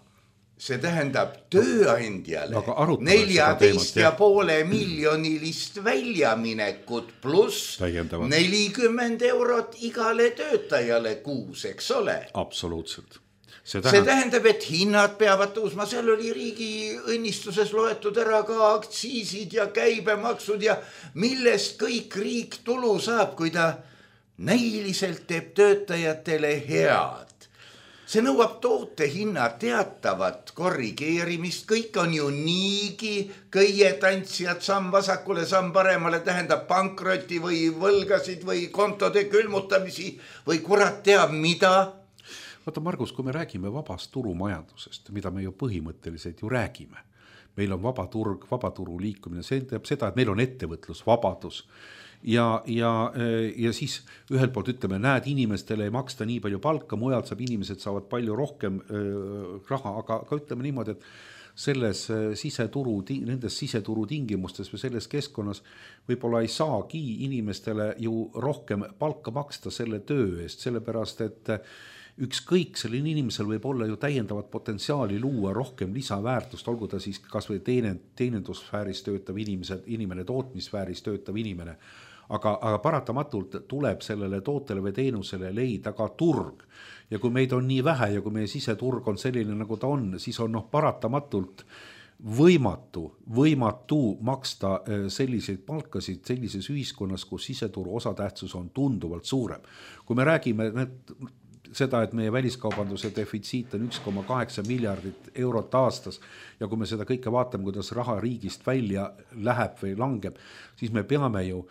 see tähendab tööandjale 14,5 miljonilist väljaminekut pluss 40 eurot igale töötajale kuus, eks ole? Absoluutselt. See tähendab, et hinnad peavad tõusma, seal oli riigi õnnistuses loetud ära ka aktsiisid ja käibemaksud ja millest kõik riik tulu saab, kui ta näiliselt teeb töötajatele head. See nõuab toote hinna teatavat korrigeerimist, kõik on ju niigi köietantsijad samm vasakule, samm paremale, tähendab pankroti või võlgasid või kontode külmutamisi või kurat teab mida. Vaata Margus, kui me räägime vabast turumajandusest, mida me ju põhimõtteliselt ju räägime, meil on vaba turg, vaba turu liikumine, see tähendab seda, et meil on ettevõtlusvabadus. Ja siis ühelt poolt ütleme, näed, inimestele ei maksta nii palju palka, mujalt inimesed saavad palju rohkem raha, aga ütleme niimoodi, et nendes siseturu tingimustes või selles keskkonnas võib-olla ei saagi inimestele ju rohkem palka maksta selle töö eest, sellepärast et ükskõik selline inimesel võib olla ju täiendavat potentsiaali luua rohkem lisaväärtust, olgu ta siis kas või teenindussfääris töötav inimene, tootmissfääris töötav inimene, aga paratamatult tuleb sellele tootele või teenusele leida ka turg. Ja kui meid on nii vähe ja kui meie siseturg on selline, nagu ta on, siis on paratamatult võimatu maksta selliseid palkasid sellises ühiskonnas, kus siseturu osatähtsus on tunduvalt suurem. Kui me räägime seda, et meie väliskaubanduse defitsiit on 1,8 miljardit eurot aastas ja kui me seda kõike vaatame, kuidas raha riigist välja läheb või langeb, siis me peame ju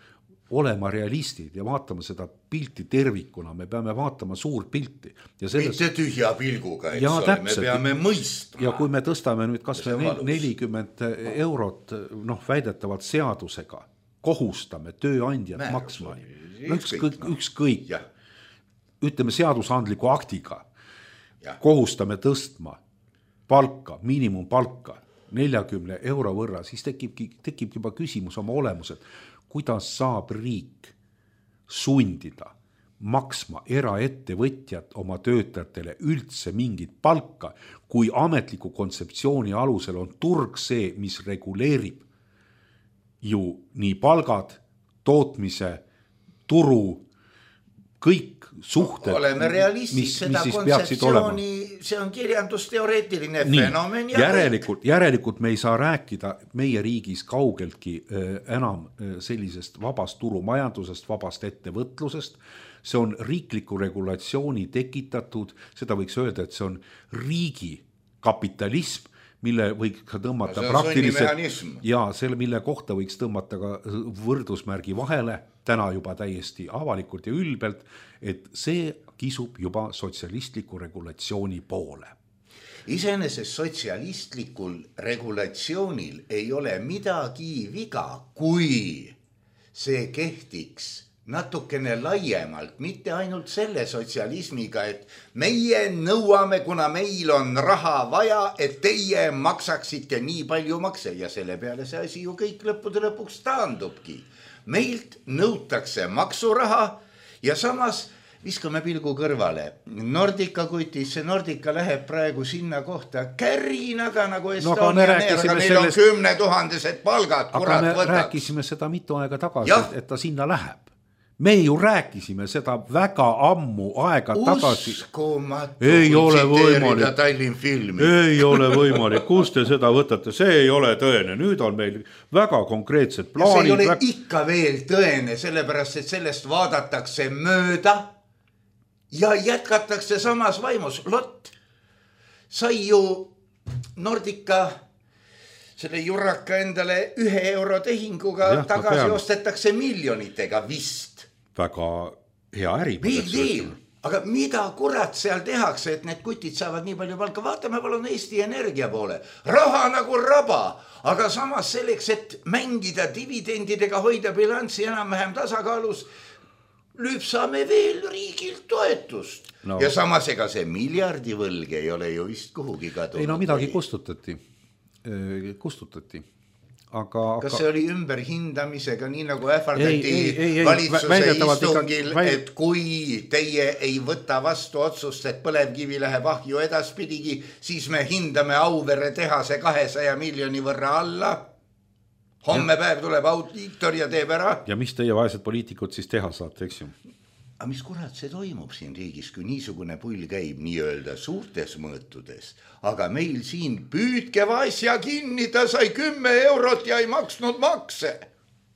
olema realistid ja vaatama seda pilti tervikuna, me peame vaatama suurt pilti. Mitte tühja pilguga, eks ole, me peame mõistma. Ja kui me tõstame nüüd kas või 40 eurot väidetavalt seadusega, kohustame tööandjad maksma, ükskõik. Ütleme seadusandliku aktiga, kohustame tõstma palka, miinimumpalka 40 euro võrra, siis tekib juba küsimus oma olemuselt, kuidas saab riik sundida maksma eraettevõtjad oma töötajatele üldse mingit palka, kui ametliku kontseptsiooni alusel on turg see, mis reguleerib ju nii palgad, tootmise, turu, kõik suhted. Oleme realistid, seda kontseptsiooni, see on kirjandusteoreetiline fenomen. Järelikult me ei saa rääkida meie riigis kaugeltki enam sellisest vabast turumajandusest, vabast ettevõtlusest. See on riikliku regulatsiooni tekitatud, seda võiks öelda, et see on riigi kapitalism, mille võiks ka tõmmata praktiliselt ja selle, mille kohta võiks tõmmata ka võrdusmärgi vahele, täna juba täiesti avalikult ja ülbelt, et see kisub juba sotsialistliku regulatsiooni poole. Iseenesest sotsialistlikul regulatsioonil ei ole midagi viga, kui see kehtiks natukene laiemalt, mitte ainult selle sotsialismiga, et meie nõuame, kuna meil on raha vaja, et teie maksaksite nii palju makse ja selle peale see asi ju kõik lõppude lõpuks taandubki. Meilt nõutakse maksuraha ja samas viskame pilgu kõrvale. Nordica kutis, see Nordica läheb praegu sinna kohta kärinaga nagu Estonia Air, aga neil on 10 000 palgad, kurat võtaks. Aga me rääkisime seda mitu aega tagasi, et ta sinna läheb. Me ju rääkisime seda väga ammu aega tagasi. Uskumatu, ei ole võimalik. Tallinn filmi. Ei ole võimalik. Kus te seda võtate? See ei ole tõene. Nüüd on meil väga konkreetsed plaanid. Ja see ei ole ikka veel tõene, sellepärast, et sellest vaadatakse mööda ja jätkatakse samas vaimus. Lott, sai ju Nordica selle jurraka endale 1 euro tehinguga tagasi ostetakse miljonitega vist. Väga hea äri. Aga mida kurat seal tehakse, et need kutid saavad nii palju palka? Vaatame palun Eesti Energia poole. Raha nagu raba, aga samas selleks, et mängida dividendidega, hoida bilanssi enam-vähem tasakaalus, lüpsame veel riigilt toetust. No. Ja samas ega see miljardivõlg ei ole ju vist kuhugi kadunud. Ei no midagi kustutati. Aga kas see oli ümberhindamisega, nii nagu ähvardati valitsuse istungil, et kui teie ei võta vastu otsust, et põlevkivi läheb ahju edaspidigi, siis me hindame Auvere tehase 200 miljoni võrra alla. Homme päev tuleb audiitor ja teeb ära. Ja mis teie vaesed poliitikud siis teha saate, eks ju? Aga mis kurat see toimub siin riigis, kui niisugune pull käib nii-öelda suurtes mõõtudes, aga meil siin püüdke asja kinni, ta sai 10 eurot ja ei maksnud makse.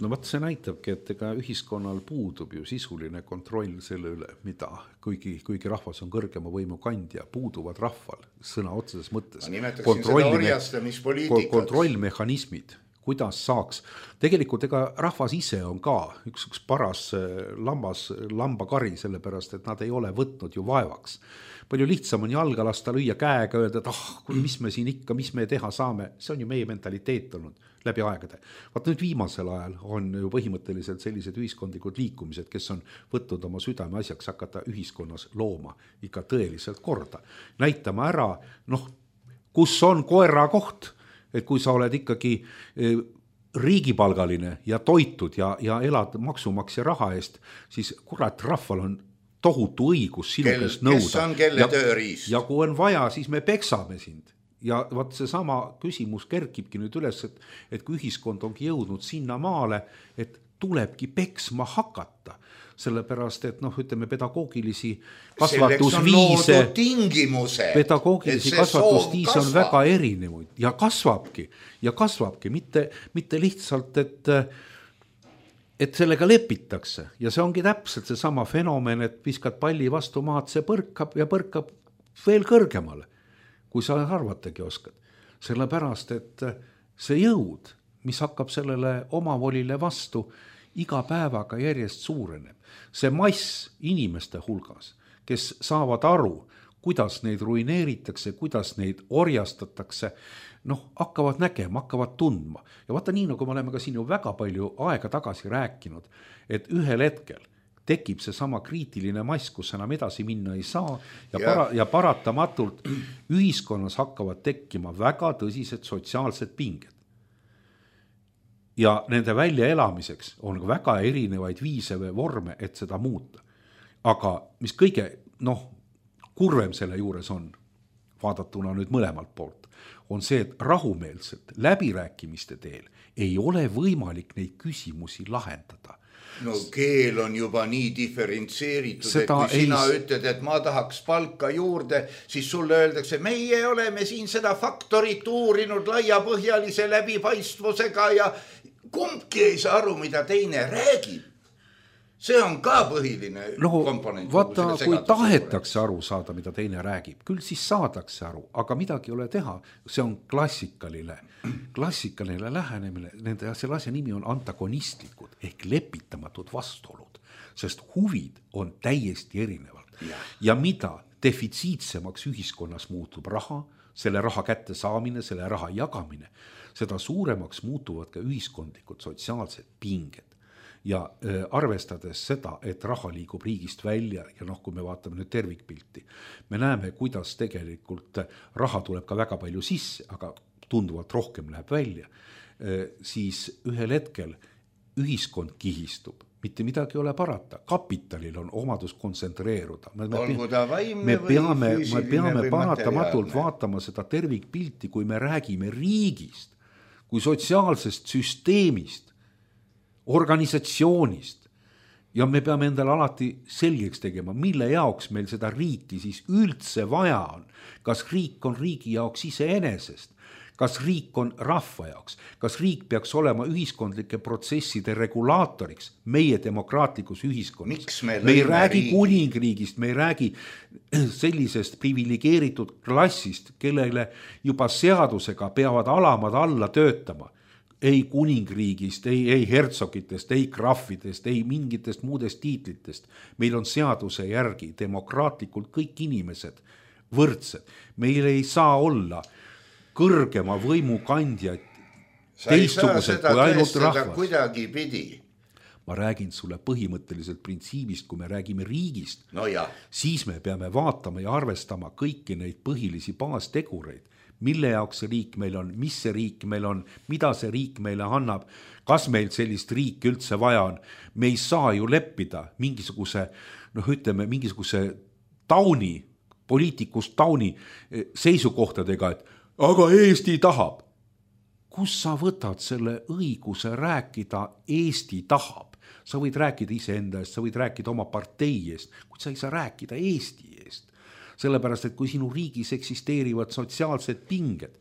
No võt see näitabki, et ega ühiskonnal puudub ju sisuline kontroll selle üle, mida, kuigi rahvas on kõrgema võimu kandja, puuduvad rahval sõna otseses mõttes. Ma nimetaksin seda orjastamispoliitikat. Kontrollmehhanismid. Kuidas saaks, tegelikult ega rahvas ise on ka üks paras lambakari, sellepärast, et nad ei ole võtnud ju vaevaks. Palju lihtsam on jalga lasta lüüa käega, öelda, et mis me siin ikka, mis me teha saame, see on ju meie mentaliteet olnud läbi aegade. Vaat nüüd viimasel ajal on ju põhimõtteliselt sellised ühiskondlikud liikumised, kes on võtnud oma südame asjaks hakata ühiskonnas looma ikka tõeliselt korda. Näitama ära, kus on koera koht, et kui sa oled ikkagi riigipalgaline ja toitud ja elad maksumaksja raha eest, siis kurat, rahval on tohutu õigus sinu käest nõuda. Kes on kelle tööriist? Ja kui on vaja, siis me peksame sind. Ja vaat see sama küsimus kerkibki nüüd üles, et kui ühiskond ongi jõudnud sinna maale, et tulebki peksma hakata. Sellepärast, et ütleme pedagoogilisi kasvatusviise on väga erinevaid ja kasvabki, mitte lihtsalt, et sellega lepitakse ja see ongi täpselt see sama fenomen, et viskad palli vastu maad, see põrkab veel kõrgemale, kui sa arvatagi oskad. Sellepärast, et see jõud, mis hakkab sellele omavolile vastu, iga päevaga järjest suureneb. See mass inimeste hulgas, kes saavad aru, kuidas neid ruineeritakse, kuidas neid orjastatakse, hakkavad nägema, hakkavad tundma. Ja vaata nii, nagu me oleme ka siin ju väga palju aega tagasi rääkinud, et ühel hetkel tekib see sama kriitiline mass, kus enam edasi minna ei saa ja paratamatult ühiskonnas hakkavad tekkima väga tõsised sotsiaalsed pinged. Ja nende väljaelamiseks on väga erinevaid viise või vorme, et seda muuta. Aga mis kõige kurvem selle juures on, vaadatuna nüüd mõlemalt poolt, on see, et rahumeelselt läbirääkimiste teel ei ole võimalik neid küsimusi lahendada. No keel on juba nii diferentseeritud, et kui sina ütled, et ma tahaks palka juurde, siis sulle öeldakse, meie oleme siin seda faktorit uurinud laiapõhjalise läbipaistvusega ja kumbki ei saa aru, mida teine räägib. see on ka põhiline komponent. Vaata, kui tahetakse aru saada, mida teine räägib, küll siis saadakse aru, aga midagi ei ole teha. See on klassikaline lähenemine, selle asja nimi on antagonistlikud ehk lepitamatud vastuolud, sest huvid on täiesti erinevad. Ja mida defitsiitsemaks ühiskonnas muutub raha, selle raha kätte saamine, selle raha jagamine, seda suuremaks muutuvad ka ühiskondlikud sotsiaalsed pinged. Ja arvestades seda, et raha liigub riigist välja ja kui me vaatame nüüd tervikpilti, me näeme, kuidas tegelikult raha tuleb ka väga palju sisse, aga tunduvalt rohkem läheb välja, siis ühel hetkel ühiskond kihistub. Mitte midagi ei ole parata. Kapitalil on omadus kontsentreeruda. Me peame paratamatult vaatama seda tervikpilti, kui me räägime riigist, kui sotsiaalsest süsteemist, organisatsioonist ja me peame endale alati selgeks tegema, mille jaoks meil seda riiki siis üldse vaja on. Kas riik on riigi jaoks iseenesest? Kas riik on rahva jaoks? Kas riik peaks olema ühiskondlike protsesside regulaatoriks meie demokraatlikus ühiskonnas? Me ei räägi kuningriigist, me ei räägi sellisest privilegeeritud klassist, kellele juba seadusega peavad alamad alla töötama. Ei kuningriigist, ei hertsogitest, ei krahvidest, ei mingitest muudest tiitlitest. Meil on seaduse järgi demokraatlikult kõik inimesed võrdsed. Meil ei saa olla kõrgema võimu kandjaid teistsugused kui ainult rahvas. Kuidagi pidi. Ma räägin sulle põhimõtteliselt printsiibist, kui me räägime riigist, siis me peame vaatama ja arvestama kõiki neid põhilisi baastegureid. Mille jaoks see riik meil on, mis see riik meil on, mida see riik meile annab, kas meil sellist riiki üldse vaja on. Me ei saa ju leppida mingisuguse tauni, poliitikust tauni seisukohtadega, et aga Eesti tahab. Kus sa võtad selle õiguse rääkida Eesti tahab? Sa võid rääkida iseenda eest, sa võid rääkida oma partei eest, kuid sa ei saa rääkida Eesti eest. Sellepärast, et kui sinu riigis eksisteerivad sotsiaalsed pinged,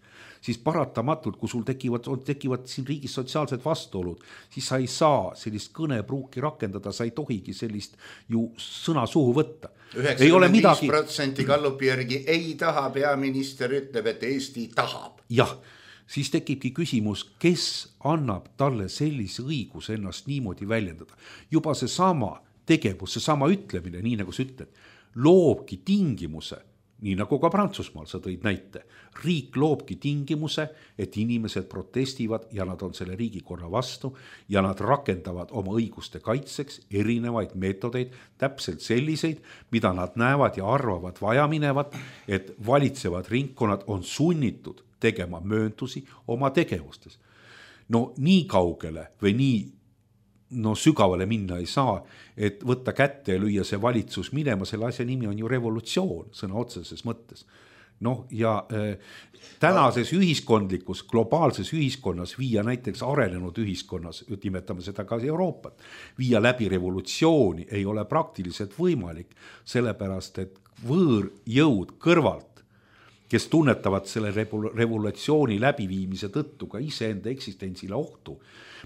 siis paratamatult, kui sul tekivad siin riigis sotsiaalsed vastuolud, siis sa ei saa sellist kõnepruuki rakendada, sa ei tohigi sellist ju sõna suhu võtta. 95% Gallupi järgi ei taha, peaminister ütleb, et Eesti tahab. Jah, siis tekibki küsimus, kes annab talle sellise õiguse ennast niimoodi väljendada. Juba see sama tegevus, see sama ütlemine, nii nagu sa ütled, loobki tingimuse, nii nagu ka Prantsusmaal sa tõid näite. Riik loobki tingimuse, et inimesed protestivad ja nad on selle riigikorra vastu ja nad rakendavad oma õiguste kaitseks erinevaid meetodeid, täpselt selliseid, mida nad näevad ja arvavad vajaminevat, et valitsevad ringkonnad on sunnitud tegema mööntusi oma tegevustes. No nii kaugele või nii sügavale minna ei saa, et võtta kätte ja lüüa see valitsus minema, selle asja nimi on ju revolutsioon sõna otseses mõttes. Tänases ühiskondlikus, globaalses ühiskonnas viia näiteks arenenud ühiskonnas, nimetame seda ka Euroopat, viia läbi revolutsiooni ei ole praktiliselt võimalik, sellepärast et võõrjõud kõrvalt, kes tunnetavad selle revolutsiooni läbiviimise tõttu ka iseenda eksistentsile ohtu,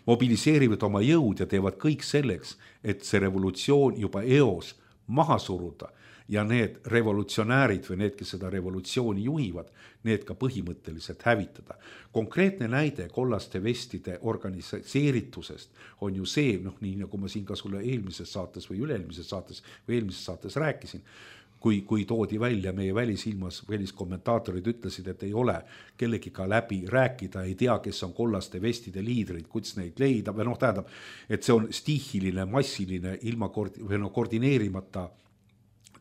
mobiliseerivad oma jõud ja teevad kõik selleks, et see revolutsioon juba eos maha suruda ja need revolutsionäärid või need, kes seda revolutsiooni juhivad, need ka põhimõtteliselt hävitada. Konkreetne näide kollaste vestide organiseeritusest on ju see, nii nagu ma siin ka sulle eelmises saates või üle-eelmises saates rääkisin, kui toodi välja meie väliskommentaatorid ütlesid, et ei ole kellegiga läbi rääkida, ei tea, kes on kollaste vestide liidrid, kuidas neid leida, või tähendab, et see on stiihiline, massiline, ilma koordineerimata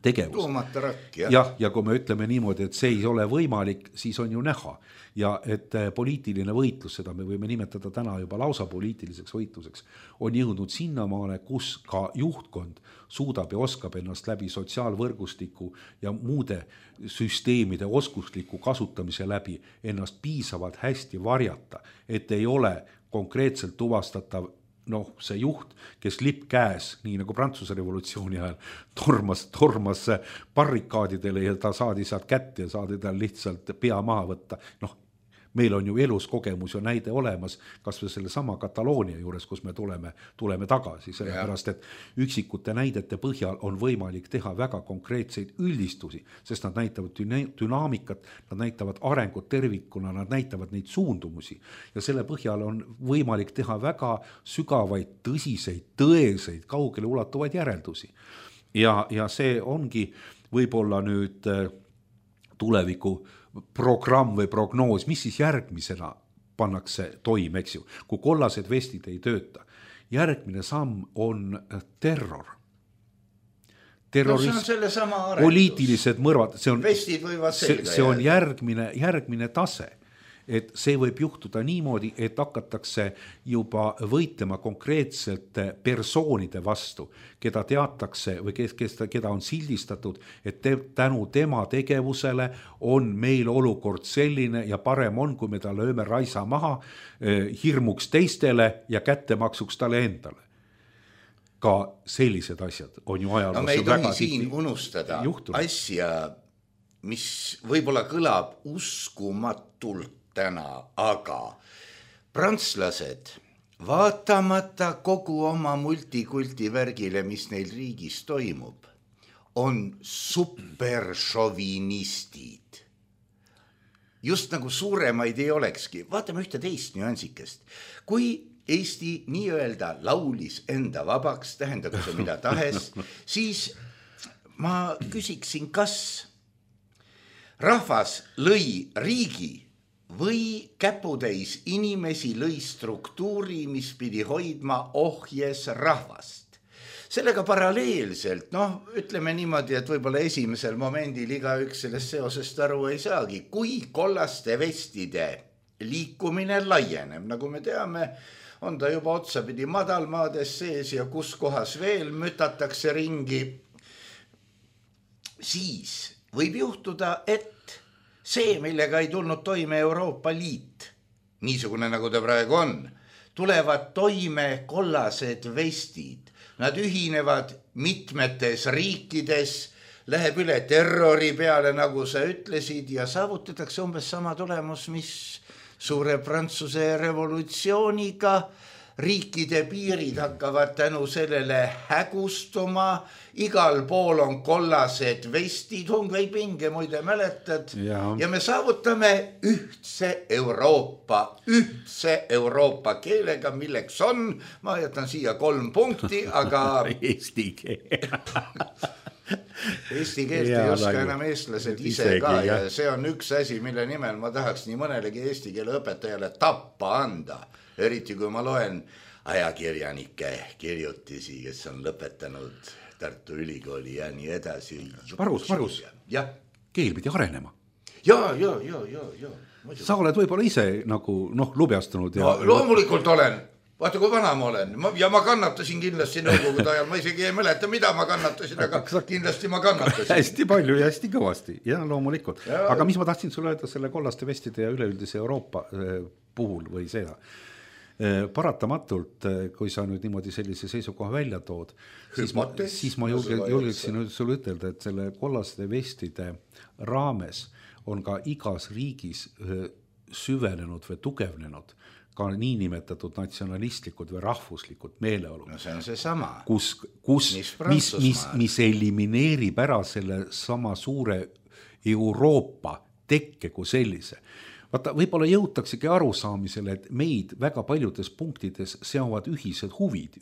tegevus. Tuumata rakk, ja kui me ütleme niimoodi, et see ei ole võimalik, siis on ju näha. Ja et poliitiline võitlus, seda me võime nimetada täna juba lausa poliitiliseks võitluseks, on jõudnud sinnamaale, kus ka juhtkond suudab ja oskab ennast läbi sotsiaalvõrgustiku ja muude süsteemide oskusliku kasutamise läbi ennast piisavalt hästi varjata, et ei ole konkreetselt tuvastatav see juht, kes lipp käes, nii nagu Prantsuse revolutsiooni ajal, tormas barrikaadidele ja ta saadi sealt kätte ja saadi tal lihtsalt pea maha võtta. meil on ju elus kogemus ja näide olemas, kas või selle sama Kataloonia juures, kus me tuleme tagasi, sellepärast et üksikute näidete põhjal on võimalik teha väga konkreetseid üldistusi, sest nad näitavad dünaamikat, nad näitavad arengut tervikuna, nad näitavad neid suundumusi ja selle põhjal on võimalik teha väga sügavaid, tõsiseid, tõeseid, kaugele ulatuvaid järeldusi. Ja see ongi võib-olla nüüd tuleviku programm või prognoos, mis siis järgmisena pannakse toime, eks ju, kui kollased vestid ei tööta. Järgmine samm on terror. Terrorism, poliitilised mõrvad, see on järgmine tase. Et see võib juhtuda niimoodi, et hakatakse juba võitlema konkreetselt persoonide vastu, keda teatakse või keda on sildistatud, et tänu tema tegevusele on meil olukord selline ja parem on, kui me ta lööme raisa maha hirmuks teistele ja kättemaksuks talle endale. Ka sellised asjad on ju ajaloos. No me ei tohi siin unustada asja, mis võib-olla kõlab uskumatult täna, aga prantslased, vaatamata kogu oma multikulti värgile, mis neil riigis toimub, on superšovinistid. Just nagu suuremaid ei olekski. Vaatame ühte teist nüansikest. Kui Eesti nii-öelda laulis enda vabaks, tähendagu see mida tahes, siis ma küsiksin, kas rahvas lõi riigi või käputäis inimesi lõi struktuuri, mis pidi hoidma ohjes rahvast. Sellega paralleelselt, ütleme niimoodi, et võib-olla esimesel momendil igaüks sellest seosest aru ei saagi, kui kollaste vestide liikumine laieneb, nagu me teame, on ta juba otsapidi madalmaades sees ja kus kohas veel mütatakse ringi, siis võib juhtuda, et see, millega ei tulnud toime Euroopa Liit, niisugune nagu ta praegu on, tulevad toime kollased vestid. Nad ühinevad mitmetes riikides, läheb üle terrori peale, nagu sa ütlesid, ja saavutatakse umbes sama tulemus, mis suure Prantsuse revolutsiooniga. Riikide piirid hakkavad tänu sellele hägustuma, igal pool on kollased vestid, Hungvei pinge muide mäletad, ja me saavutame ühtse Euroopa keelega, milleks on, ma jätan siia 3 punkti, aga eesti keel. Eesti keelt ei oska enam eestlased ise ka ja see on üks asi, mille nimel ma tahaks nii mõnelegi eesti keele õpetajale tappa anda. Eriti kui ma loen ajakirjanike kirjutisi, kes on lõpetanud Tartu Ülikooli ja nii edasi. Margus, keel pidi arenema. Ja. Sa oled võib-olla ise nagu lubjastunud. Loomulikult olen. Vaata, kui vana ma olen. Ja ma kannatasin kindlasti nõukogude ajal. Ma isegi ei mäleta, mida ma kannatasin, aga kindlasti ma kannatasin. Hästi palju ja hästi kõvasti. Ja loomulikult. Aga mis ma tahtsin sulle öelda selle kollaste vestide ja üleüldise Euroopa puhul või seda? Paratamatult, kui sa nüüd niimoodi sellise seisukoha välja tood, siis ma julgeksin sulle ütelda, et selle kollaste vestide raames on ka igas riigis süvenenud või tugevnenud ka niinimetatud natsionalistlikud või rahvuslikud meeleolud. No see on see sama. Mis elimineerib ära selle sama suure Euroopa tekke kui sellise. Vaata, võib-olla jõutaksegi arusaamisele, et meid väga paljudes punktides seovad ühised huvid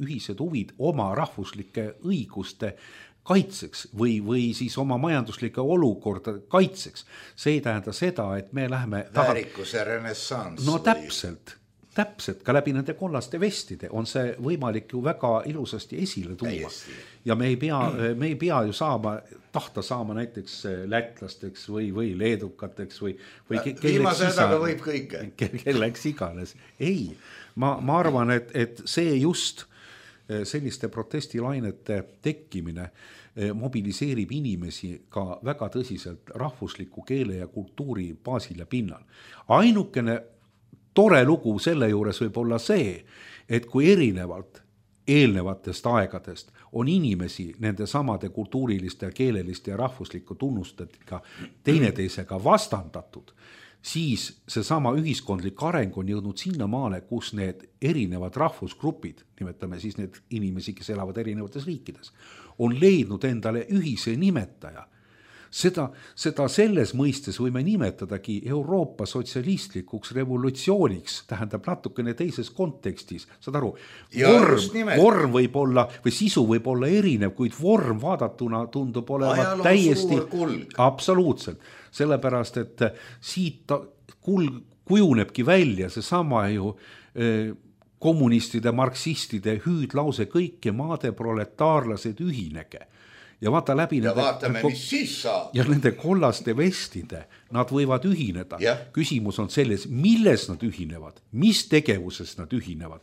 oma rahvuslike õiguste kaitseks või siis oma majanduslike olukorda kaitseks. See ei tähenda seda, et me läheme väärikuse renessans. No täpselt, ka läbi nende kollaste vestide on see võimalik ju väga ilusasti esile tuua. Ja me ei pea ju tahta saama näiteks lätlasteks või leedukateks või viimase hädaga võib kõike. Kelleks iganes. Ei, ma arvan, et see just selliste protestilainete tekkimine mobiliseerib inimesi ka väga tõsiselt rahvusliku keele ja kultuuri baasil ja pinnal. Ainukene tore lugu selle juures võib olla see, et kui erinevalt eelnevatest aegadest on inimesi nende samade kultuuriliste, keeleliste ja rahvusliku tunnustega teineteisega vastandatud, siis seesama ühiskondlik areng on jõudnud sinnamaale, kus need erinevad rahvusgrupid, nimetame siis need inimesi, kes elavad erinevates riikides, on leidnud endale ühise nimetaja. Seda selles mõistes võime nimetadagi Euroopa sotsialistlikuks revolutsiooniks, tähendab natukene teises kontekstis, saad aru, vorm võib olla või sisu võib olla erinev, kuid vorm vaadatuna tundub olevat täiesti absoluutselt, sellepärast et siit kujunebki välja seesama ju kommunistide, marksistide hüüdlause kõiki maade proletaarlased ühinege. Ja vaata läbi nende kollaste vestide, nad võivad ühineda. Küsimus on selles, milles nad ühinevad, mis tegevuses nad ühinevad.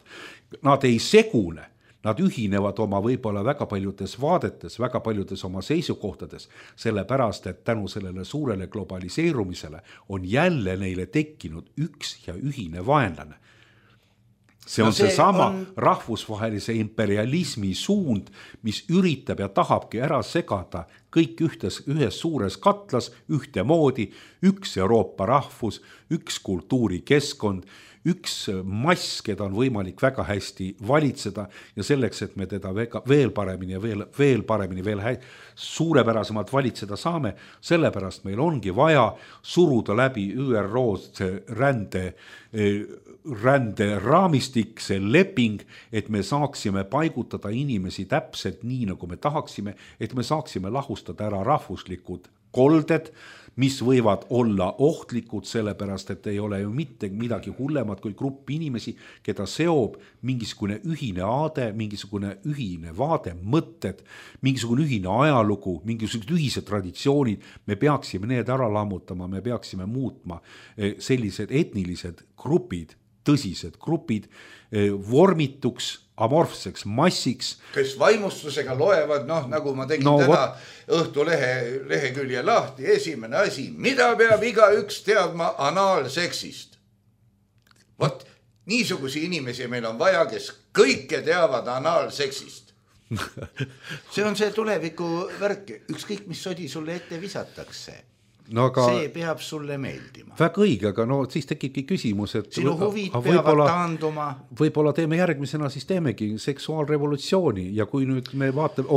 Nad ei segune, nad ühinevad oma võib-olla väga paljudes vaadetes, väga paljudes oma seisukohtades, sellepärast, et tänu sellele suurele globaliseerumisele on jälle neile tekkinud üks ja ühine vaenlane. See on seesama rahvusvahelise imperialismi suund, mis üritab ja tahabki ära segada kõik ühes suures katlas ühtemoodi, üks Euroopa rahvus, üks kultuurikeskkond, üks mass, keda on võimalik väga hästi valitseda ja selleks, et me teda veel paremini ja veel paremini, veel suurepärasemalt valitseda saame, sellepärast meil ongi vaja suruda läbi ÜRO rände raamistik, see leping, et me saaksime paigutada inimesi täpselt nii, nagu me tahaksime, et me saaksime lahustada ära rahvuslikud kolded, mis võivad olla ohtlikud, sellepärast, et ei ole ju mitte midagi hullemat kui grupp inimesi, keda seob mingisugune ühine aade, mingisugune ühine vaade, mõtted, mingisugune ühine ajalugu, mingisugused ühised traditsioonid. Me peaksime need ära lammutama, me peaksime muutma sellised etnilised grupid, tõsised grupid vormituks, amorfseks massiks. Kes vaimustusega loevad, nagu ma tegin täna Õhtulehe lehekülje lahti, esimene asi, mida peab igaüks teadma anaalseksist. Vot, niisugusi inimesi meil on vaja, kes kõike teavad anaalseksist. See on see tuleviku värk, ükskõik mis sodi sulle ette visatakse. See peab sulle meeldima. Väga õige, aga siis tekibki küsimus, et sinu huvid peavad taanduma. Võib-olla teeme järgmisena, siis teemegi seksuaalrevolutsiooni ja kui nüüd me vaatame,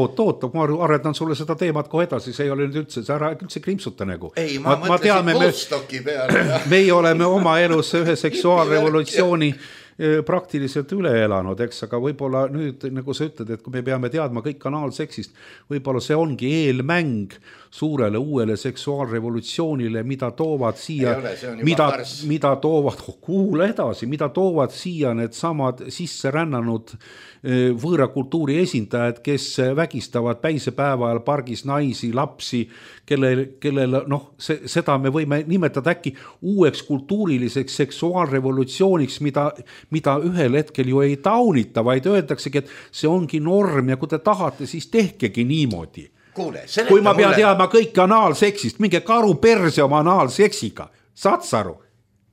ma aredan sulle seda teemat kohe edasi, see ei ole nüüd üldse, see ära üldse krimpsuta nagu. Ei, ma mõtlesin Woodstocki peale. Meie oleme oma elus ühe seksuaalrevolutsiooni praktiliselt üle elanud, eks, aga võib-olla nüüd, nagu sa ütled, et kui me peame teadma kõik kanaalseksist, võib-olla see ongi eelmäng suurele uuele seksuaalrevolutsioonile, mida toovad siia, mida toovad, kuule edasi, mida toovad siia need samad sisse rännanud võõra kultuuri esindajad, kes vägistavad päisepäeva ajal pargis naisi, lapsi, kellel seda me võime nimetada äkki uueks kultuuriliseks seksuaalrevolutsiooniks, mida ühel hetkel ju ei taunita, vaid öeldaksegi, et see ongi norm ja kui te tahate, siis tehkegi niimoodi. Kui ma pean teadma kõik anaalseksist, minge karu perse oma anaalseksiga, saad saru?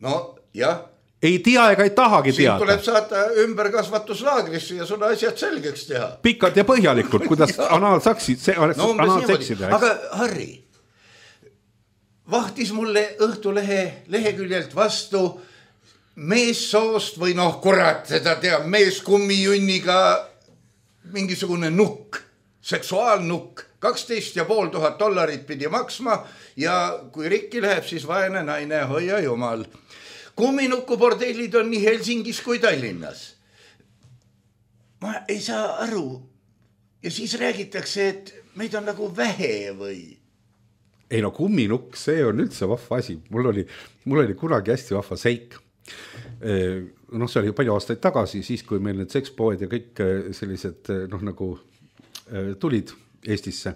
No, jah. Ei tea ega ei tahagi teada. Siin tuleb saata ümberkasvatuslaagrisse ja sulle asjad selgeks teha. Pikalt ja põhjalikult, kuidas anaalseksida. Aga Harri, vahtis mulle Õhtulehe leheküljelt vastu meessoost või kurat, seda teab, meeskummijunniga mingisugune nukk, seksuaalnukk, $12,500 pidi maksma ja kui rikki läheb, siis vaene naine, hoia jumal. Kumminukubordellid on nii Helsingis kui Tallinnas. Ma ei saa aru. Ja siis räägitakse, et meid on nagu vähe või? Ei kumminukk, see on üldse vahva asi. Mul oli kunagi hästi vahva seik. See oli palju aastaid tagasi, siis kui meil need sekspoed ja kõik sellised tulid Eestisse.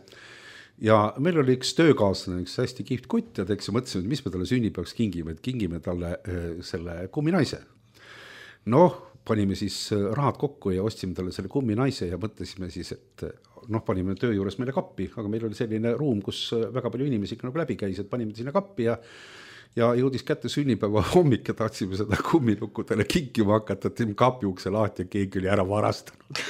Ja meil oli üks töökaaslane, üks hästi kihvt kutt ja mõtlesime, et mis me talle sünnipäevaks kingime, et kingime talle selle kumminaise. Panime siis rahad kokku ja ostsime talle selle kumminaise ja mõtlesime siis, et panime töö juures meile kappi, aga meil oli selline ruum, kus väga palju inimesi läbi käis, et panime sinna kappi ja jõudis kätte sünnipäeva hommik ja tahtsime seda kumminukkudele kinkima hakata, et kapi ukse lahti ja keegi oli ära varastanud.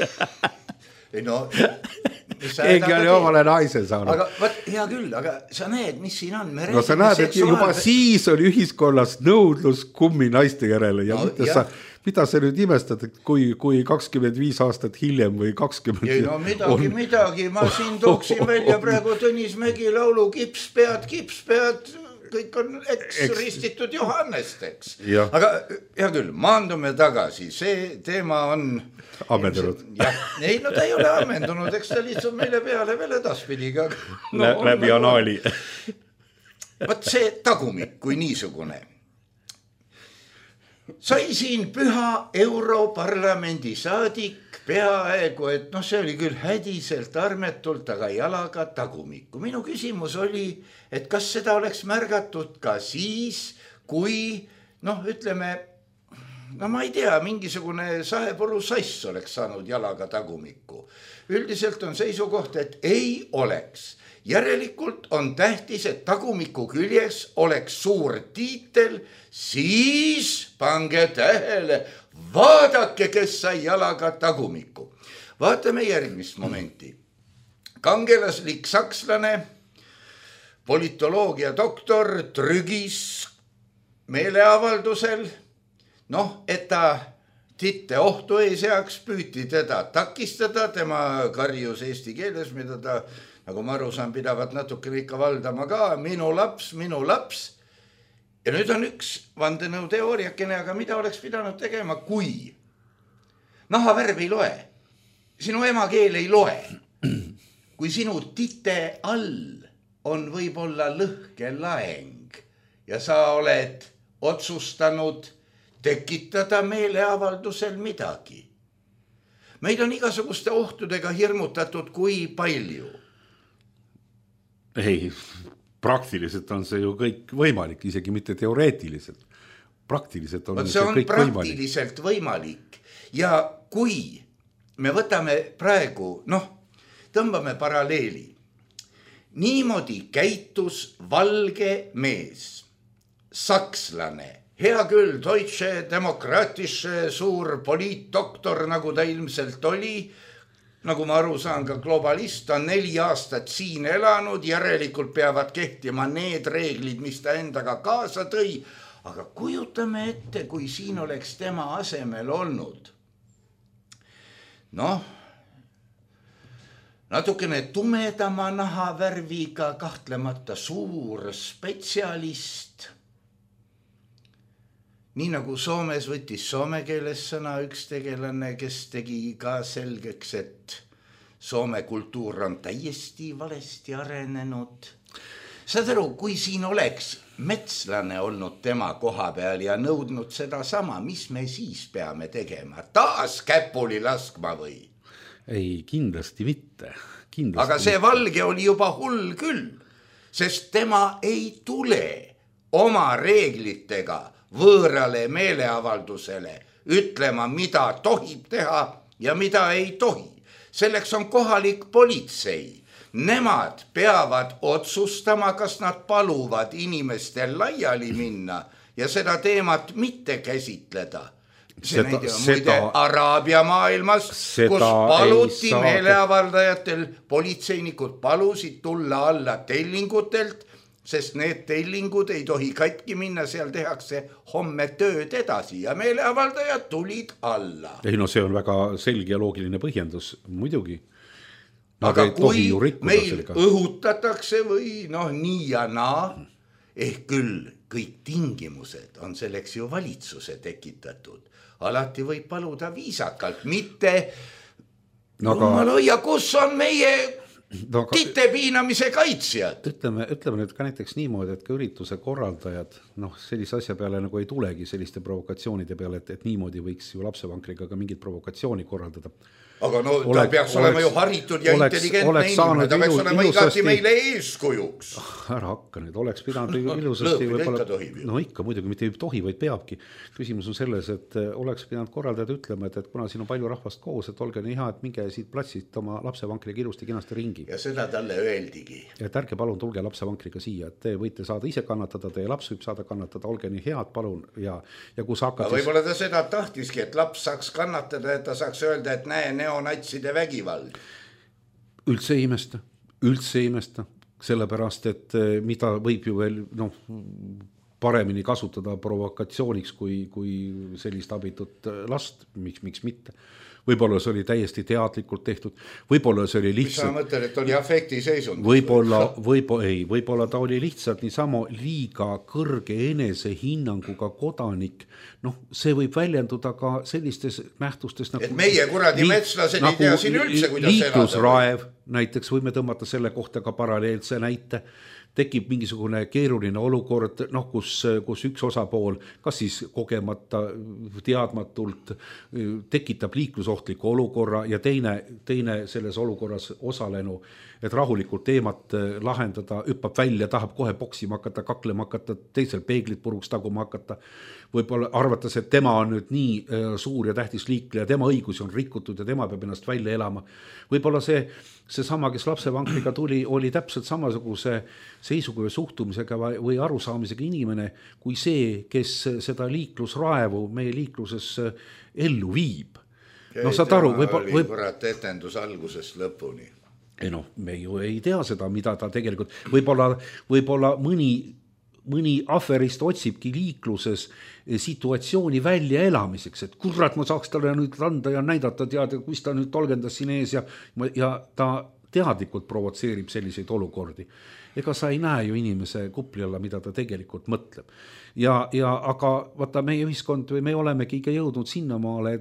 keegi oli omale naise saanud. Aga võt, hea küll, aga sa näed, mis siin on. No sa näed, et juba siis oli ühiskonnas nõudlus kummi naiste järele ja mida sa nüüd imestad, et kui 25 aastat hiljem või 20... Ei, no midagi, ma siin tooksin välja praegu Tõnis Mägi laulu Kipspead, kõik on ristitud Johannesteks. Aga hea küll, maandume tagasi, see teema on ammendunud. Ei, no ta ei ole ammendunud, eks ta lihtsalt meile peale veel edaspidiga. Läbi anaali. Võt see tagumik kui niisugune. Sai siin püha Europarlamendi saadik peaaegu, et see oli küll hädiselt armetult, aga jalaga tagumikku. Minu küsimus oli, et kas seda oleks märgatud ka siis, kui, ütleme, ma ei tea, mingisugune saepuru sass oleks saanud jalaga tagumikku. Üldiselt on seisukoht, et ei oleks. Järelikult on tähtis, et tagumiku küljes oleks suur tiitel, siis pange tähele, vaadake, kes sai jalaga tagumiku. Vaatame järgmist momenti. Kangelaslik sakslane, politoloogia doktor trügis meeleavaldusel, et ta titte ohtu ei seaks, püüti teda takistada, tema karjus eesti keeles, mida ta, nagu ma aru saan, pidavat natukene ikka valdama ka, minu laps. Ja nüüd on üks vandenõu teooriakene, aga mida oleks pidanud tegema, kui nahavärv ei loe, sinu emakeel ei loe, kui sinu tite all on võib-olla lõhke laeng ja sa oled otsustanud tekitada meeleavaldusel midagi. Meid on igasuguste ohtudega hirmutatud kui palju. Ei, praktiliselt on see ju kõik võimalik, isegi mitte teoreetiliselt. Praktiliselt on see kõik praktiliselt võimalik. Ja kui me võtame praegu, tõmbame paralleeli. Niimoodi käitus valge mees, sakslane, hea küll, Deutsche Demokratische suur poliitdoktor, nagu ta ilmselt oli, nagu ma aru saan, ka globalist, on 4 aastat siin elanud, järelikult peavad kehtima need reeglid, mis ta endaga kaasa tõi. Aga kujutame ette, kui siin oleks tema asemel olnud. Natukene tumedama nahavärviga, kahtlemata suur spetsialist. Nii nagu Soomes võttis soome keeles sõna üks tegelane, kes tegi ka selgeks, et soome kultuur on täiesti valesti arenenud. Saad aru, kui siin oleks metslane olnud tema koha peal ja nõudnud seda sama, mis me siis peame tegema? Taas käpuli laskma või? Ei, kindlasti mitte. Aga see valge oli juba hull küll, sest tema ei tule oma reeglitega võõrale meeleavaldusele ütlema, mida tohib teha ja mida ei tohi. Selleks on kohalik politsei. Nemad peavad otsustama, kas nad paluvad inimestel laiali minna ja seda teemat mitte käsitleda. See näide on muide Araabia maailmas, kus paluti meeleavaldajatel, politseinikud palusid tulla alla tellingutelt, sest need tellingud ei tohi katki minna, seal tehakse homme tööd edasi ja meeleavaldajad tulid alla. Ei, see on väga selge ja loogiline põhjendus, muidugi. Aga kui meil õhutatakse või nii ja naa, ehk küll kõik tingimused on selleks ju valitsuse tekitatud. Alati võib paluda viisakalt, mitte ja kus on meie tite piinamise kaitsjad. Ütleme nüüd ka näiteks niimoodi, et ka ürituse korraldajad sellise asja peale nagu ei tulegi selliste provokatsioonide peale, et niimoodi võiks ju lapsevankriga ka mingit provokatsiooni korraldada. Aga ta peaks olema ju haritud ja intelligentne inimene, ta peaks olema igati meile eeskujuks. Ära hakka nüüd, oleks pidanud ilusasti ikka muidugi, mitte ei tohi, vaid peabki. Küsimus on selles, et oleks pidanud korraldajad ütlema, et kuna siin on palju rahvast koos, et olge nii hea, et minge siit platsist oma lapsevankriga ilusti kenasti ringi. Ja seda talle öeldigi. Et ärge palun tulge lapsevankriga siia, et te võite saada ise kannatada, teie laps võib saada kannatada, olge nii head, palun. Ja kus hakkad võib-olla ta seda tahtiski, et laps saaks kannatada, et ta saaks öelda, et näe, neonatside vägivald. üldse ei imesta, sellepärast, et mida võib ju veel paremini kasutada provokatsiooniks kui sellist abitut last, miks mitte. Võib-olla see oli täiesti teadlikult tehtud, võib-olla see oli lihtsalt... Mis sa mõtled, et oli afektiseisund? Võib-olla ta oli lihtsalt niisama liiga kõrge enesehinnanguga kodanik. See võib väljenduda ka sellistes nähtustes nagu... Et meie kuradi metslased ei tea siin üldse, kuidas liiklusraev, näiteks võime tõmmata selle kohta ka paralleelse näite. Tekib mingisugune keeruline olukord, kus üks osapool, kas siis kogemata, teadmatult, tekitab liiklusohtliku olukorra ja teine selles olukorras osalenu, et rahulikult teemat lahendada, hüppab välja, tahab kohe boksima hakata, kaklema hakata, teisel peeglit puruks taguma hakata. Võib-olla arvates, et tema on nüüd nii suur ja tähtis liikleja, tema õigusi on rikutud ja tema peab ennast välja elama. Võib-olla see sama, kes lapsevankriga tuli, oli täpselt samasuguse seisuga või suhtumisega või arusaamisega inimene kui see, kes seda liiklusraevu meie liikluses ellu viib. Saad aru, oli kurat etendus algusest lõpuni. Me ju ei tea seda, mida ta tegelikult, võib-olla mõni aferist otsibki liikluses situatsiooni välja elamiseks, et kurat, ma saaks talle nüüd anda ja näidata teada, kus ta nüüd tolgendas siin ees ja ta teadlikult provotseerib selliseid olukordi. Ega sa ei näe ju inimese kupli alla, mida ta tegelikult mõtleb. Aga vaata, meie ühiskond või me olemegi ikka jõudnud sinnamaale,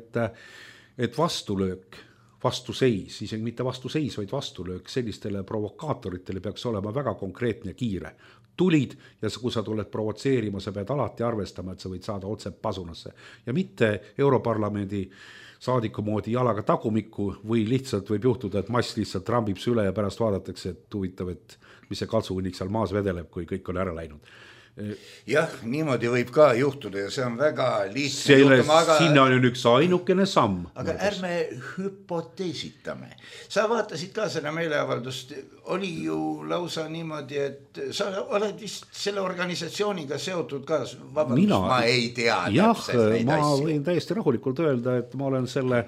et vastulöök, vastuseis, isegi mitte vastuseis, vaid vastulöök sellistele provokaatoritele peaks olema väga konkreetne ja kiire. Tulid ja kui sa tuled provotseerima, sa pead alati arvestama, et sa võid saada otse pasunasse. Ja mitte Europarlamendi saadiku moodi jalaga tagumikku või lihtsalt võib juhtuda, et mass lihtsalt rambib süle ja pärast vaadatakse, et huvitav, et mis see kaltsuhunnik seal maas vedeleb, kui kõik on ära läinud. Jah, niimoodi võib ka juhtuda ja see on väga lihtne juhtuma, aga... Sinna on ju üks ainukene samm. Aga ärme hüpoteesitame. Sa vaatasid ka seda meeleavaldust, oli ju lausa niimoodi, et sa oled vist selle organisatsiooniga seotud ka, vabandust, ma ei tea täpselt neid asju. Ma võin täiesti rahulikult öelda, et ma olen selle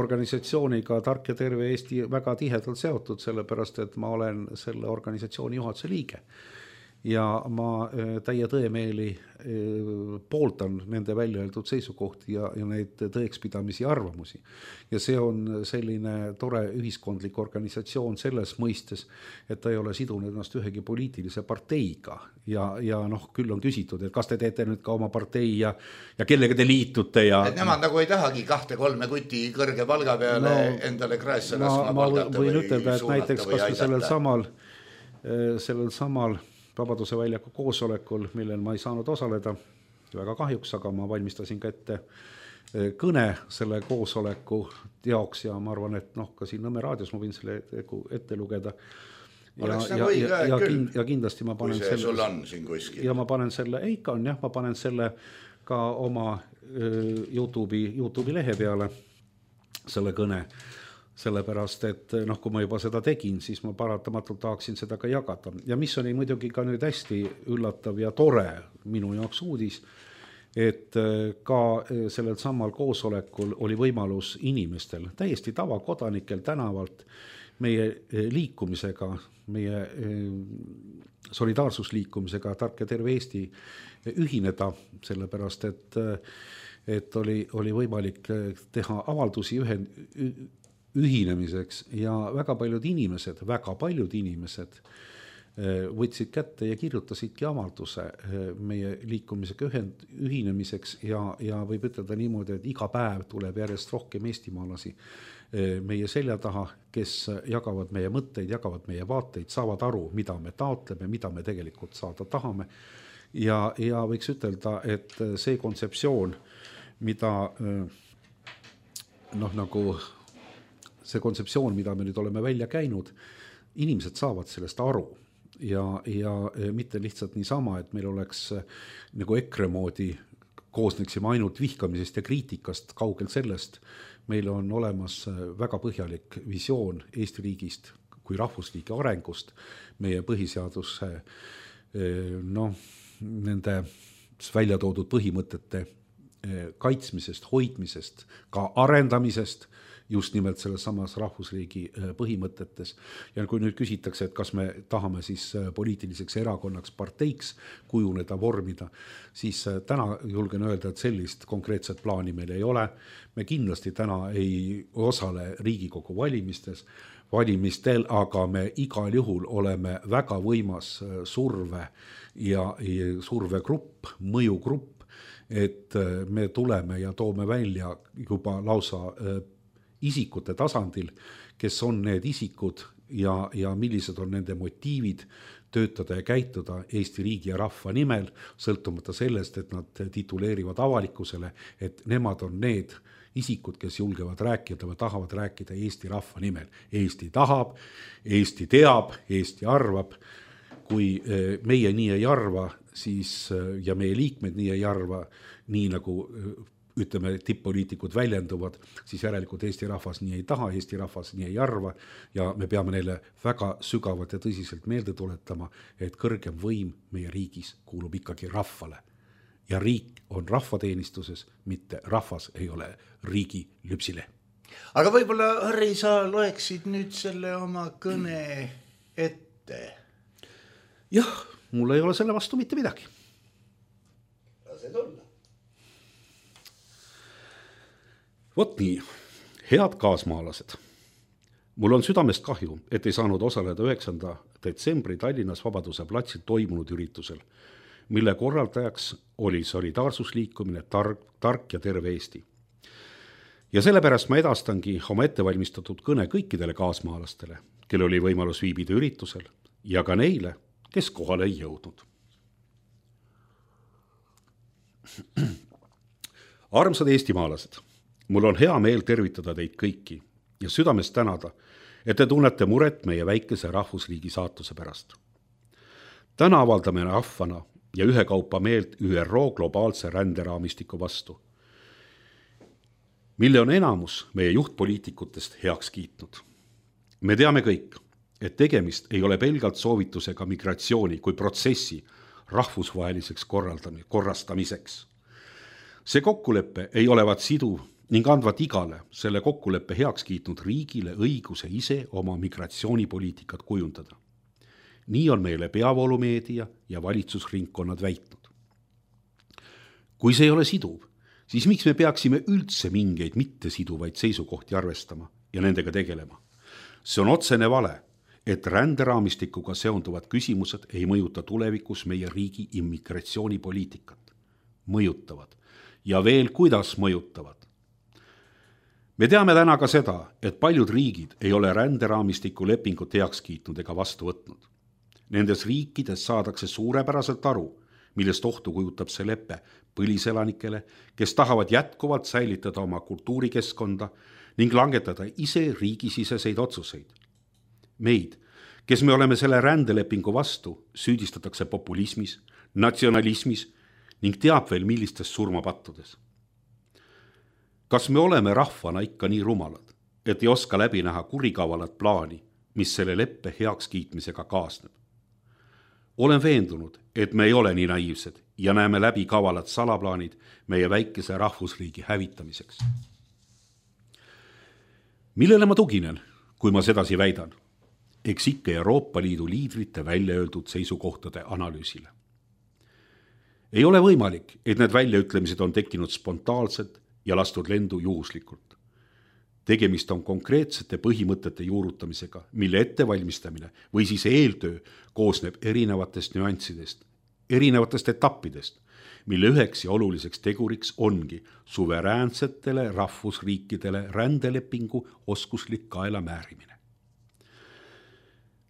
organisatsiooniga Tark ja Terve Eesti väga tihedalt seotud, sellepärast, et ma olen selle organisatsiooni juhatuse liige. Ja ma täie tõemeeli pooltan nende välja öeldud seisukohti ja neid tõekspidamisi arvamusi. Ja see on selline tore ühiskondlik organisatsioon selles mõistes, et ta ei ole sidunud ennast ühegi poliitilise parteiga. Ja küll on küsitud, et kas te teete nüüd ka oma partei ja kellega te liitute. Et nemad nagu ei tahagi 2-3 kuti kõrge palga peale endale kraesse laskma palgata või võin ütelda, et näiteks kas sellel samal Vabaduse väljaku koosolekul, millel ma ei saanud osaleda, väga kahjuks, aga ma valmistasin ka ette kõne selle koosoleku jaoks ja ma arvan, et ka siin Nõmme raadios ma võin selle ette lugeda. Ja kindlasti ma panen selle... Sul on siin kuskil. Ja ma panen selle, ma panen selle ka oma YouTube'i lehe peale, selle kõne. Sellepärast, et kui ma juba seda tegin, siis ma paratamatult tahaksin seda ka jagada. Ja mis oli muidugi ka nüüd hästi üllatav ja tore minu jaoks uudis, et ka sellel samal koosolekul oli võimalus inimestel, täiesti tavakodanikel tänavalt meie liikumisega, meie solidaarsusliikumisega Tark ja Terve Eesti ühineda, sellepärast, et oli võimalik teha avaldusi ühinemiseks ja väga paljud inimesed võtsid kätte ja kirjutasidki avalduse meie liikumisega ühinemiseks ja võib ütelda niimoodi, et iga päev tuleb järjest rohkem eestimaalasi meie selja taha, kes jagavad meie mõtteid, jagavad meie vaateid, saavad aru, mida me taotleme, mida me tegelikult saada tahame ja võiks ütelda, et see kontseptsioon, mida me nüüd oleme välja käinud, inimesed saavad sellest aru ja mitte lihtsalt niisama, et meil oleks nagu EKRE moodi koosneksime ainult vihkamisest ja kriitikast, kaugel sellest. Meil on olemas väga põhjalik visioon Eesti riigist kui rahvusliigi arengust, meie põhiseaduse nende välja toodud põhimõtete kaitsmisest, hoidmisest, ka arendamisest just nimelt selles samas rahvusriigi põhimõtetes. Ja kui nüüd küsitakse, et kas me tahame siis poliitiliseks erakonnaks, parteiks kujuneda, vormida, siis täna julgen öelda, et sellist konkreetset plaani meil ei ole. Me kindlasti täna ei osale Riigikogu valimistel, aga me igal juhul oleme väga võimas surve ja survegrupp, mõjugrupp, et me tuleme ja toome välja juba lausa isikute tasandil, kes on need isikud ja millised on nende motiivid töötada ja käituda Eesti riigi ja rahva nimel, sõltumata sellest, et nad tituleerivad avalikkusele, et nemad on need isikud, kes julgevad rääkida või tahavad rääkida Eesti rahva nimel. Eesti tahab, Eesti teab, Eesti arvab. Kui meie nii ei arva, siis, ja meie liikmed nii ei arva, nii nagu ütleme, tipp-poliitikud väljenduvad, siis järelikult Eesti rahvas nii ei taha, Eesti rahvas nii ei arva ja me peame neile väga sügavalt ja tõsiselt meelde tuletama, et kõrgem võim meie riigis kuulub ikkagi rahvale. Ja riik on rahvateenistuses, mitte rahvas ei ole riigi lüpsile. Aga võib-olla, Harri, sa loeksid nüüd selle oma kõne ette? Jah, mul ei ole selle vastu mitte midagi. Lase tulla. Vot nii, head kaasmaalased. Mul on südamest kahju, et ei saanud osaleda 9. detsembri Tallinnas Vabaduse platsil toimunud üritusel, mille korraldajaks oli solidaarsusliikumine Tark ja terve Eesti. Ja sellepärast ma edastangi oma ettevalmistatud kõne kõikidele kaasmaalastele, kelle oli võimalus viibida üritusel ja ka neile, kes kohale ei jõudnud. Armsad eestimaalased, mul on hea meel tervitada teid kõiki ja südamest tänada, et te tunnete muret meie väikese rahvusriigi saatuse pärast. Täna avaldame rahvana ja ühekaupa meelt ÜRO globaalse ränderaamistiku vastu, mille on enamus meie juhtpoliitikutest heaks kiitnud. Me teame kõik, et tegemist ei ole pelgalt soovitusega migratsiooni kui protsessi rahvusvaheliseks korrastamiseks. See kokkulepe ei olevat siduv ning andvat igale selle kokkuleppe heaks kiitnud riigile õiguse ise oma migratsioonipoliitikat kujundada. Nii on meile peavoolumeedia ja valitsusringkonnad väitnud. Kui see ei ole siduv, siis miks me peaksime üldse mingeid mittesiduvaid seisukohti arvestama ja nendega tegelema? See on otsene vale, et ränderaamistikuga seonduvad küsimused ei mõjuta tulevikus meie riigi immigratsioonipoliitikat. Mõjutavad. Ja veel kuidas mõjutavad. Me teame täna ka seda, et paljud riigid ei ole ränderaamistiku lepingut heaks kiitnud ega vastu võtnud. Nendes riikides saadakse suurepäraselt aru, millest ohtu kujutab see leppe põliselanikele, kes tahavad jätkuvalt säilitada oma kultuurikeskkonda ning langetada ise riigisiseseid otsuseid. Meid, kes me oleme selle rändelepingu vastu, süüdistatakse populismis, natsionalismis ning teab veel millistes surmapattudes. Kas me oleme rahvana ikka nii rumalad, et ei oska läbi näha kurikavalat plaani, mis selle leppe heaks kiitmisega kaasneb? Olen veendunud, et me ei ole nii naiivsed ja näeme läbi kavalad salaplaanid meie väikese rahvusriigi hävitamiseks. Millele ma tuginen, kui ma sedasi väidan? Eks ikka Euroopa Liidu liidrite välja öeldud seisukohtade analüüsile. Ei ole võimalik, et need väljaütlemised on tekkinud spontaalselt ja lastud lendu juhuslikult. Tegemist on konkreetsete põhimõtete juurutamisega, mille ettevalmistamine või siis eeltöö koosneb erinevatest nüanssidest, erinevatest etappidest, mille üheks ja oluliseks teguriks ongi suveräänsetele rahvusriikidele rändelepingu oskuslik kaela määrimine.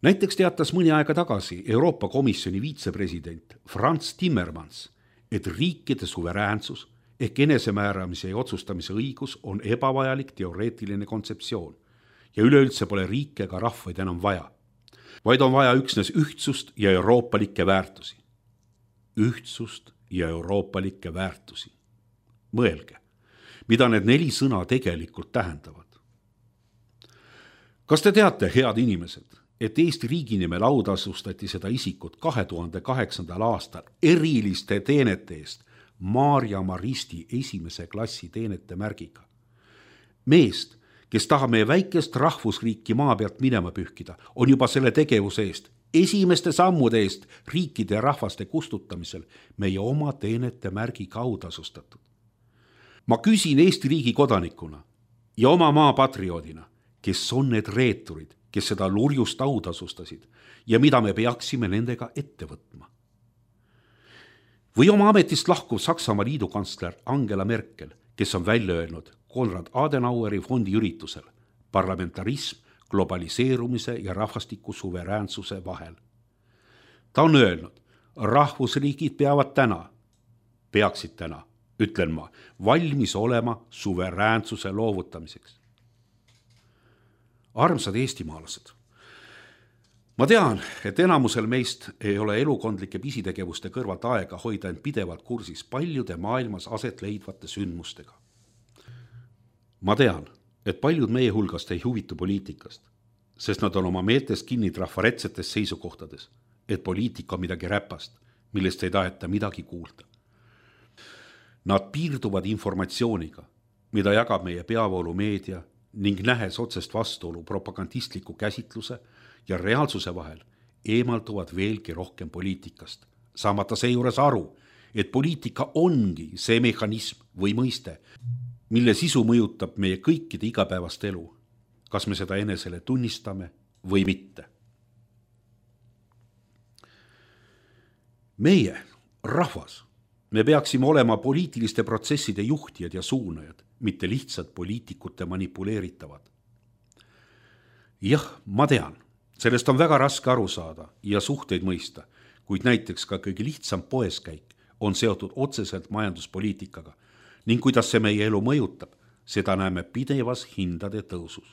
Näiteks teatas mõni aega tagasi Euroopa Komisjoni viitsepresident Frans Timmermans, et riikide suveräänsus ehk enesemääramise ja otsustamise õigus on ebavajalik teoreetiline kontseptsioon ja üleüldse pole riike ega rahvaid enam vaja, vaid on vaja üksnes ühtsust ja euroopalikke väärtusi. Ühtsust ja euroopalikke väärtusi. Mõelge, mida need 4 sõna tegelikult tähendavad. Kas te teate, head inimesed, et Eesti riigi nimel autasustati seda isikut 2008. aastal eriliste teenete eest Maarja Maristi 1. klassi teenete märgiga? Meest, kes tahab meie väikest rahvusriiki maa pealt minema pühkida, on juba selle tegevuse eest, esimeste sammude eest riikide ja rahvaste kustutamisel meie oma teenete märgiga autasustatud. Ma küsin Eesti riigi kodanikuna ja oma maa patrioodina, kes on need reeturid, kes seda lurjust autasustasid ja mida me peaksime nendega ette võtma. Või oma ametist lahkuv Saksamaa liidukantsler Angela Merkel, kes on välja öelnud Konrad Adenaueri fondi üritusel parlamentarism globaliseerumise ja rahvastiku suveräänsuse vahel. Ta on öelnud, rahvusriigid peaksid täna, ütlen ma, valmis olema suveräänsuse loovutamiseks. Armsad eestimaalased, ma tean, et enamusel meist ei ole elukondlike pisitegevuste kõrvalt aega hoida end pidevalt kursis paljude maailmas aset leidvate sündmustega. Ma tean, et paljud meie hulgast ei huvitu poliitikast, sest nad on oma meeltes kinni trafaretsetes seisukohtades, et poliitika on midagi räpast, millest ei taheta midagi kuulda. Nad piirduvad informatsiooniga, mida jagab meie peavoolumeedia ning nähes otsest vastuolu propagandistliku käsitluse ja reaalsuse vahel eemalduvad veelgi rohkem poliitikast, saamata seejuures aru, et poliitika ongi see mehhanism või mõiste, mille sisu mõjutab meie kõikide igapäevast elu, kas me seda enesele tunnistame või mitte. Meie, rahvas, me peaksime olema poliitiliste protsesside juhtijad ja suunajad, mitte lihtsalt poliitikute manipuleeritavad. Jah, ma tean, sellest on väga raske aru saada ja suhteid mõista, kuid näiteks ka kõige lihtsam poeskäik on seotud otseselt majanduspoliitikaga ning kuidas see meie elu mõjutab, seda näeme pidevas hindade tõusus.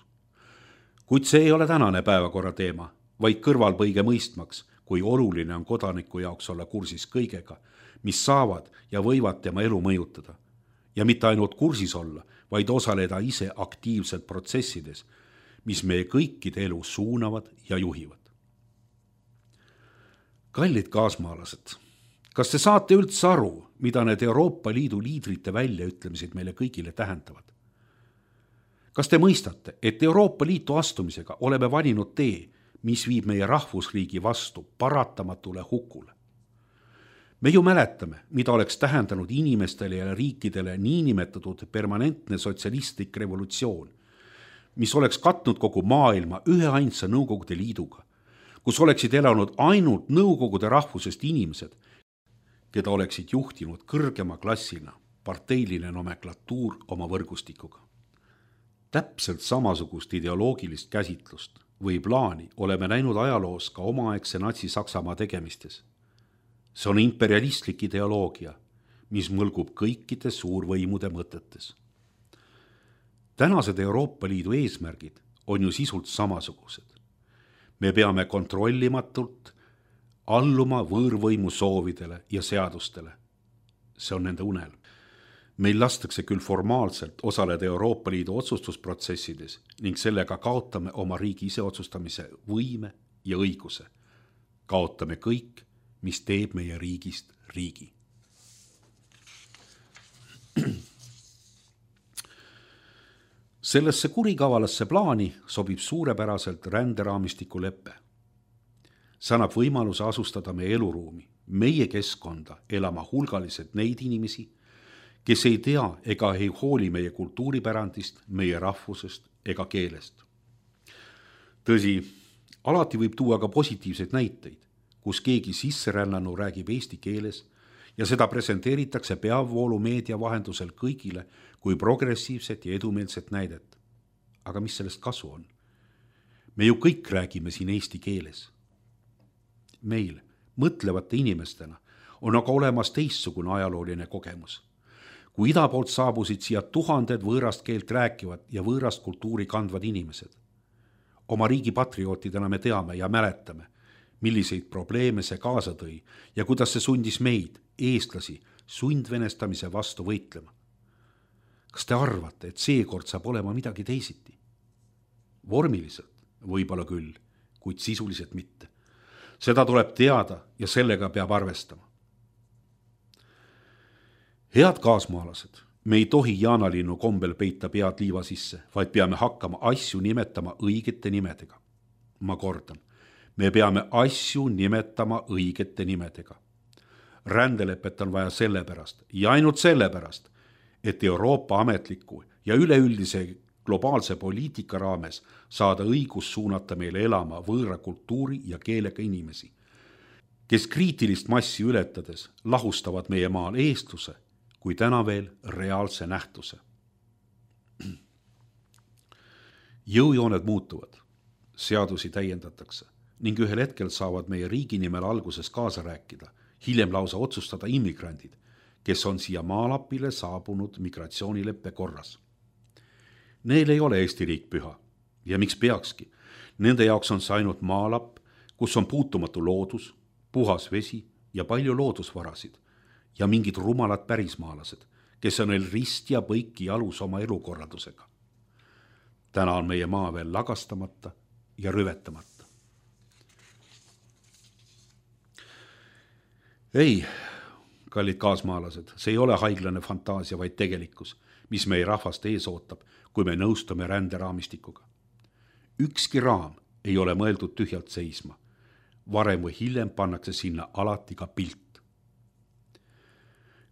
Kuid see ei ole tänane päevakorra teema, vaid kõrvalpõige mõistmaks, kui oluline on kodaniku jaoks olla kursis kõigega, mis saavad ja võivad tema elu mõjutada. Ja mitte ainult kursis olla, vaid osaleda ise aktiivselt protsessides, mis meie kõikide elu suunavad ja juhivad. Kallid kaasmaalased, kas te saate üldse aru, mida need Euroopa Liidu liidrite väljaütlemised meile kõigile tähendavad? Kas te mõistate, et Euroopa Liitu astumisega oleme valinud tee, mis viib meie rahvusriigi vastu paratamatule hukule? Me ju mäletame, mida oleks tähendanud inimestele ja riikidele niinimetatud permanentne sotsialistlik revolutsioon, mis oleks katnud kogu maailma üheainsa Nõukogude Liiduga, kus oleksid elanud ainult nõukogude rahvusest inimesed, keda oleksid juhtinud kõrgema klassina parteiline nomenklatuur oma võrgustikuga. Täpselt samasugust ideoloogilist käsitlust või plaani oleme näinud ajaloos ka omaaegse Natsi-Saksamaa tegemistes. See on imperialistlik ideoloogia, mis mõlgub kõikide suurvõimude mõtetes. Tänased Euroopa Liidu eesmärgid on ju sisult samasugused. Me peame kontrollimatult alluma võõrvõimu soovidele ja seadustele. See on nende unel. Meil lastakse küll formaalselt osaleda Euroopa Liidu otsustusprotsessides ning sellega kaotame oma riigi iseotsustamise võime ja õiguse. Kaotame kõik, mis teeb meie riigist riigi. Sellesse kurikavalasse plaani sobib suurepäraselt ränderaamistiku leppe. See annab võimaluse asustada meie eluruumi, meie keskkonda elama hulgaliselt neid inimesi, kes ei tea ega ei hooli meie kultuuripärandist, meie rahvusest ega keelest. Tõsi, alati võib tuua ka positiivseid näiteid, kus keegi sisserännanu räägib eesti keeles ja seda presenteeritakse peavoolumeedia vahendusel kõigile kui progressiivset ja edumeelset näidet. Aga mis sellest kasu on? Me ju kõik räägime siin eesti keeles. Meil, mõtlevate inimestena, on aga olemas teistsugune ajalooline kogemus. Kui ida poolt saabusid siia tuhanded võõrast keelt rääkivad ja võõrast kultuuri kandvad inimesed. Oma riigi patriootidena me teame ja mäletame, milliseid probleeme see kaasa tõi ja kuidas see sundis meid, eestlasi, sundvenestamise vastu võitlema. Kas te arvate, et seekord saab olema midagi teisiti? Vormiliselt võib-olla küll, kuid sisuliselt mitte. Seda tuleb teada ja sellega peab arvestama. Head kaasmaalased, Me ei tohi jaanalinnu kombel peita pead liiva sisse, vaid peame hakkama asju nimetama õigete nimedega. Ma kordan, me peame asju nimetama õigete nimedega. Rändelepet on vaja sellepärast ja ainult sellepärast, et Euroopa ametliku ja üleüldise globaalse poliitika raames saada õigus suunata meile elama võõra kultuuri ja keelega inimesi, kes kriitilist massi ületades lahustavad meie maal eestluse, kui täna veel reaalse nähtuse. Jõujooned muutuvad, seadusi täiendatakse ning ühel hetkel saavad meie riigi nimel alguses kaasa rääkida, hiljem lausa otsustada immigrandid, kes on siia maalapile saabunud migratsioonileppe korras. Neil ei ole Eesti riik püha ja miks peakski. Nende jaoks on see ainult maalapp, kus on puutumatu loodus, puhas vesi ja palju loodusvarasid ja mingid rumalad pärismaalased, kes on neil rist ja põiki jalus oma elukorraldusega. Täna on meie maa veel lagastamata ja rüvetamata. Ei, kallid kaasmaalased, see ei ole haiglane fantaasia, vaid tegelikkus, mis meie rahvast ees ootab, kui me nõustume ränderaamistikuga. Ükski raam ei ole mõeldud tühjalt seisma. Varem või hiljem pannakse sinna alati ka pilt.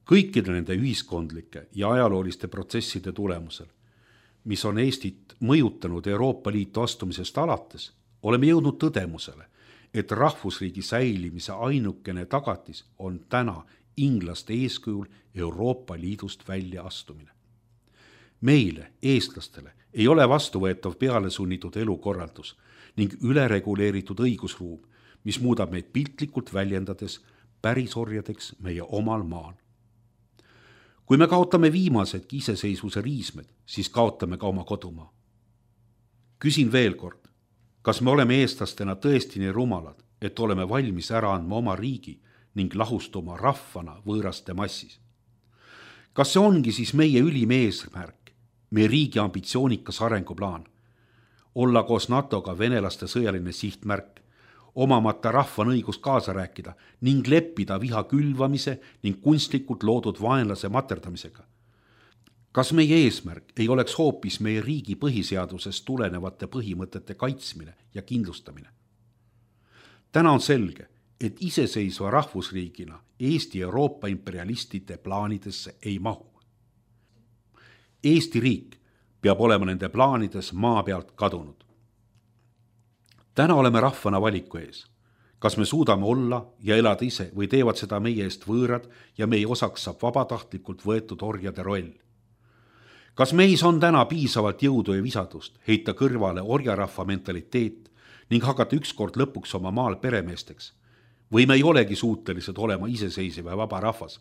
Kõikide nende ühiskondlike ja ajalooliste protsesside tulemusel, mis on Eestit mõjutanud Euroopa Liitu astumisest alates, oleme jõudnud tõdemusele, et rahvusriigi säilimise ainukene tagatis on täna inglaste eeskujul Euroopa Liidust välja astumine. Meile, eestlastele, ei ole vastuvõetav peale sunnitud elukorraldus ning ülereguleeritud õigusruum, mis muudab meid piltlikult väljendades pärisorjadeks meie omal maal. Kui me kaotame viimasedki iseseisvuse riismed, siis kaotame ka oma kodumaa. Küsin veel kord, kas me oleme eestlastena tõesti nii rumalad, et oleme valmis ära andma oma riigi ning lahustuma rahvana võõraste massis? Kas see ongi siis meie ülim eesmärk, meie riigi ambitsioonikas arenguplaan? Olla koos NATO-ga venelaste sõjaline sihtmärk, omamata rahvan õigus kaasa rääkida ning leppida viha külvamise ning kunstlikult loodud vaenlase materdamisega? Kas meie eesmärk ei oleks hoopis meie riigi põhiseadusest tulenevate põhimõtete kaitsmine ja kindlustamine? Täna on selge, et iseseisva rahvusriigina Eesti Euroopa imperialistide plaanidesse ei mahu. Eesti riik peab olema nende plaanides maa pealt kadunud. Täna oleme rahvana valiku ees. Kas me suudame olla ja elada ise või teevad seda meie eest võõrad ja meie osaks saab vabatahtlikult võetud orjade roll? Kas meis on täna piisavalt jõudu ja visadust heita kõrvale orjarahva mentaliteet ning hakata ükskord lõpuks oma maal peremeesteks? Või me ei olegi suutelised olema iseseisev ja vaba rahvas,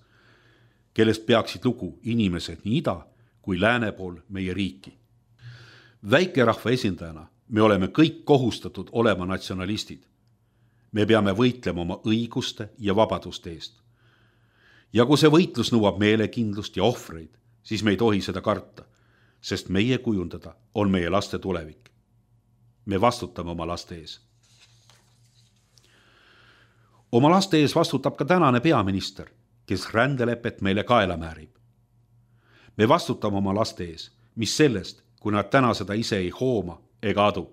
kellest peaksid lugu inimesed nii ida kui lääne pool meie riiki? Väikerahva esindajana me oleme kõik kohustatud olema natsionalistid. Me peame võitlema oma õiguste ja vabaduste eest. Ja kui see võitlus nõuab meelekindlust ja ohvreid, siis me ei tohi seda karta, sest meie kujundada on meie laste tulevik. Me vastutame oma laste ees. Oma laste ees vastutab ka tänane peaminister, kes rändelepet meile kaela määrib. Me vastutame oma laste ees, mis sellest, kui nad täna seda ise ei hooma ega adu.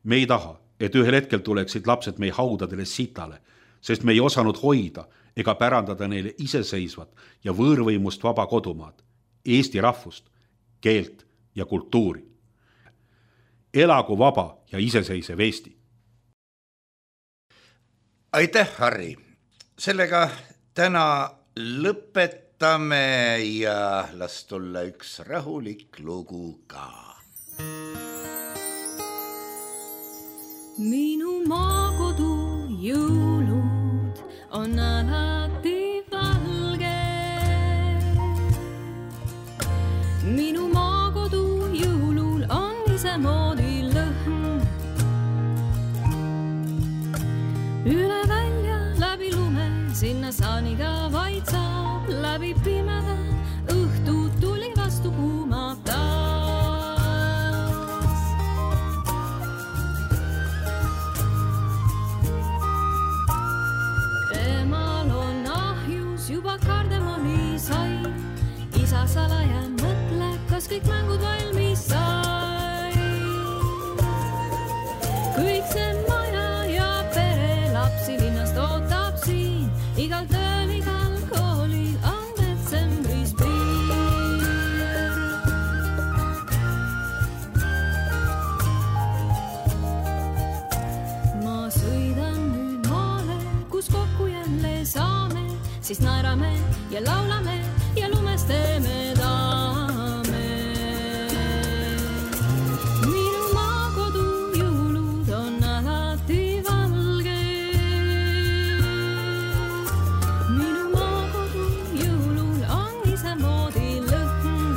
Me ei taha, et ühel hetkel tuleksid lapsed meie haudadele sitale, sest me ei osanud hoida ega pärandada neile iseseisvat ja võõrvõimust vaba kodumaad, Eesti rahvust, keelt ja kultuuri. Elagu vaba ja iseseisev Eesti. Aitäh, Harri. Sellega täna lõpetame ja las tulla üks rahulik lugu ka. Minu maakodu jõulud on alati valge. Minu maakodu jõulul on isemoodi lõhn. Üle välja läbi lume, sinna saaniga vaid saab, läbi pimeda õhtu tuli vastu kuumab taas. Emal on ahjus juba kardemoni sai, isa salaja kõik mängud valmis sai. Kõik see maja ja pere lapsi linnast ootab siin. Igal tööl, igal koolil on detsembris piir. Ma sõidan nüüd maale, kus kokku jälle saame, siis naerame ja laulame ja lumest teeme daame. Minu maakodu jõulud on alati valge. Minu maakodu jõulul on isemoodi lõhn.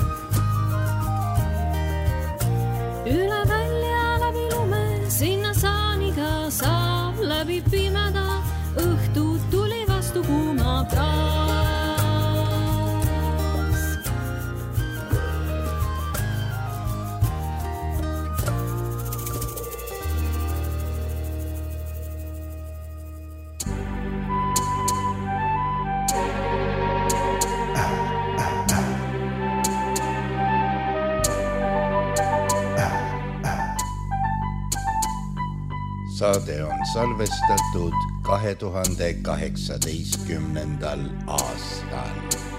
Üle välja läbi lume, sinna saaniga saab läbi pimeda. Õhtud tuli vastu kuuma taas. Saade on salvestatud 2018. aastal.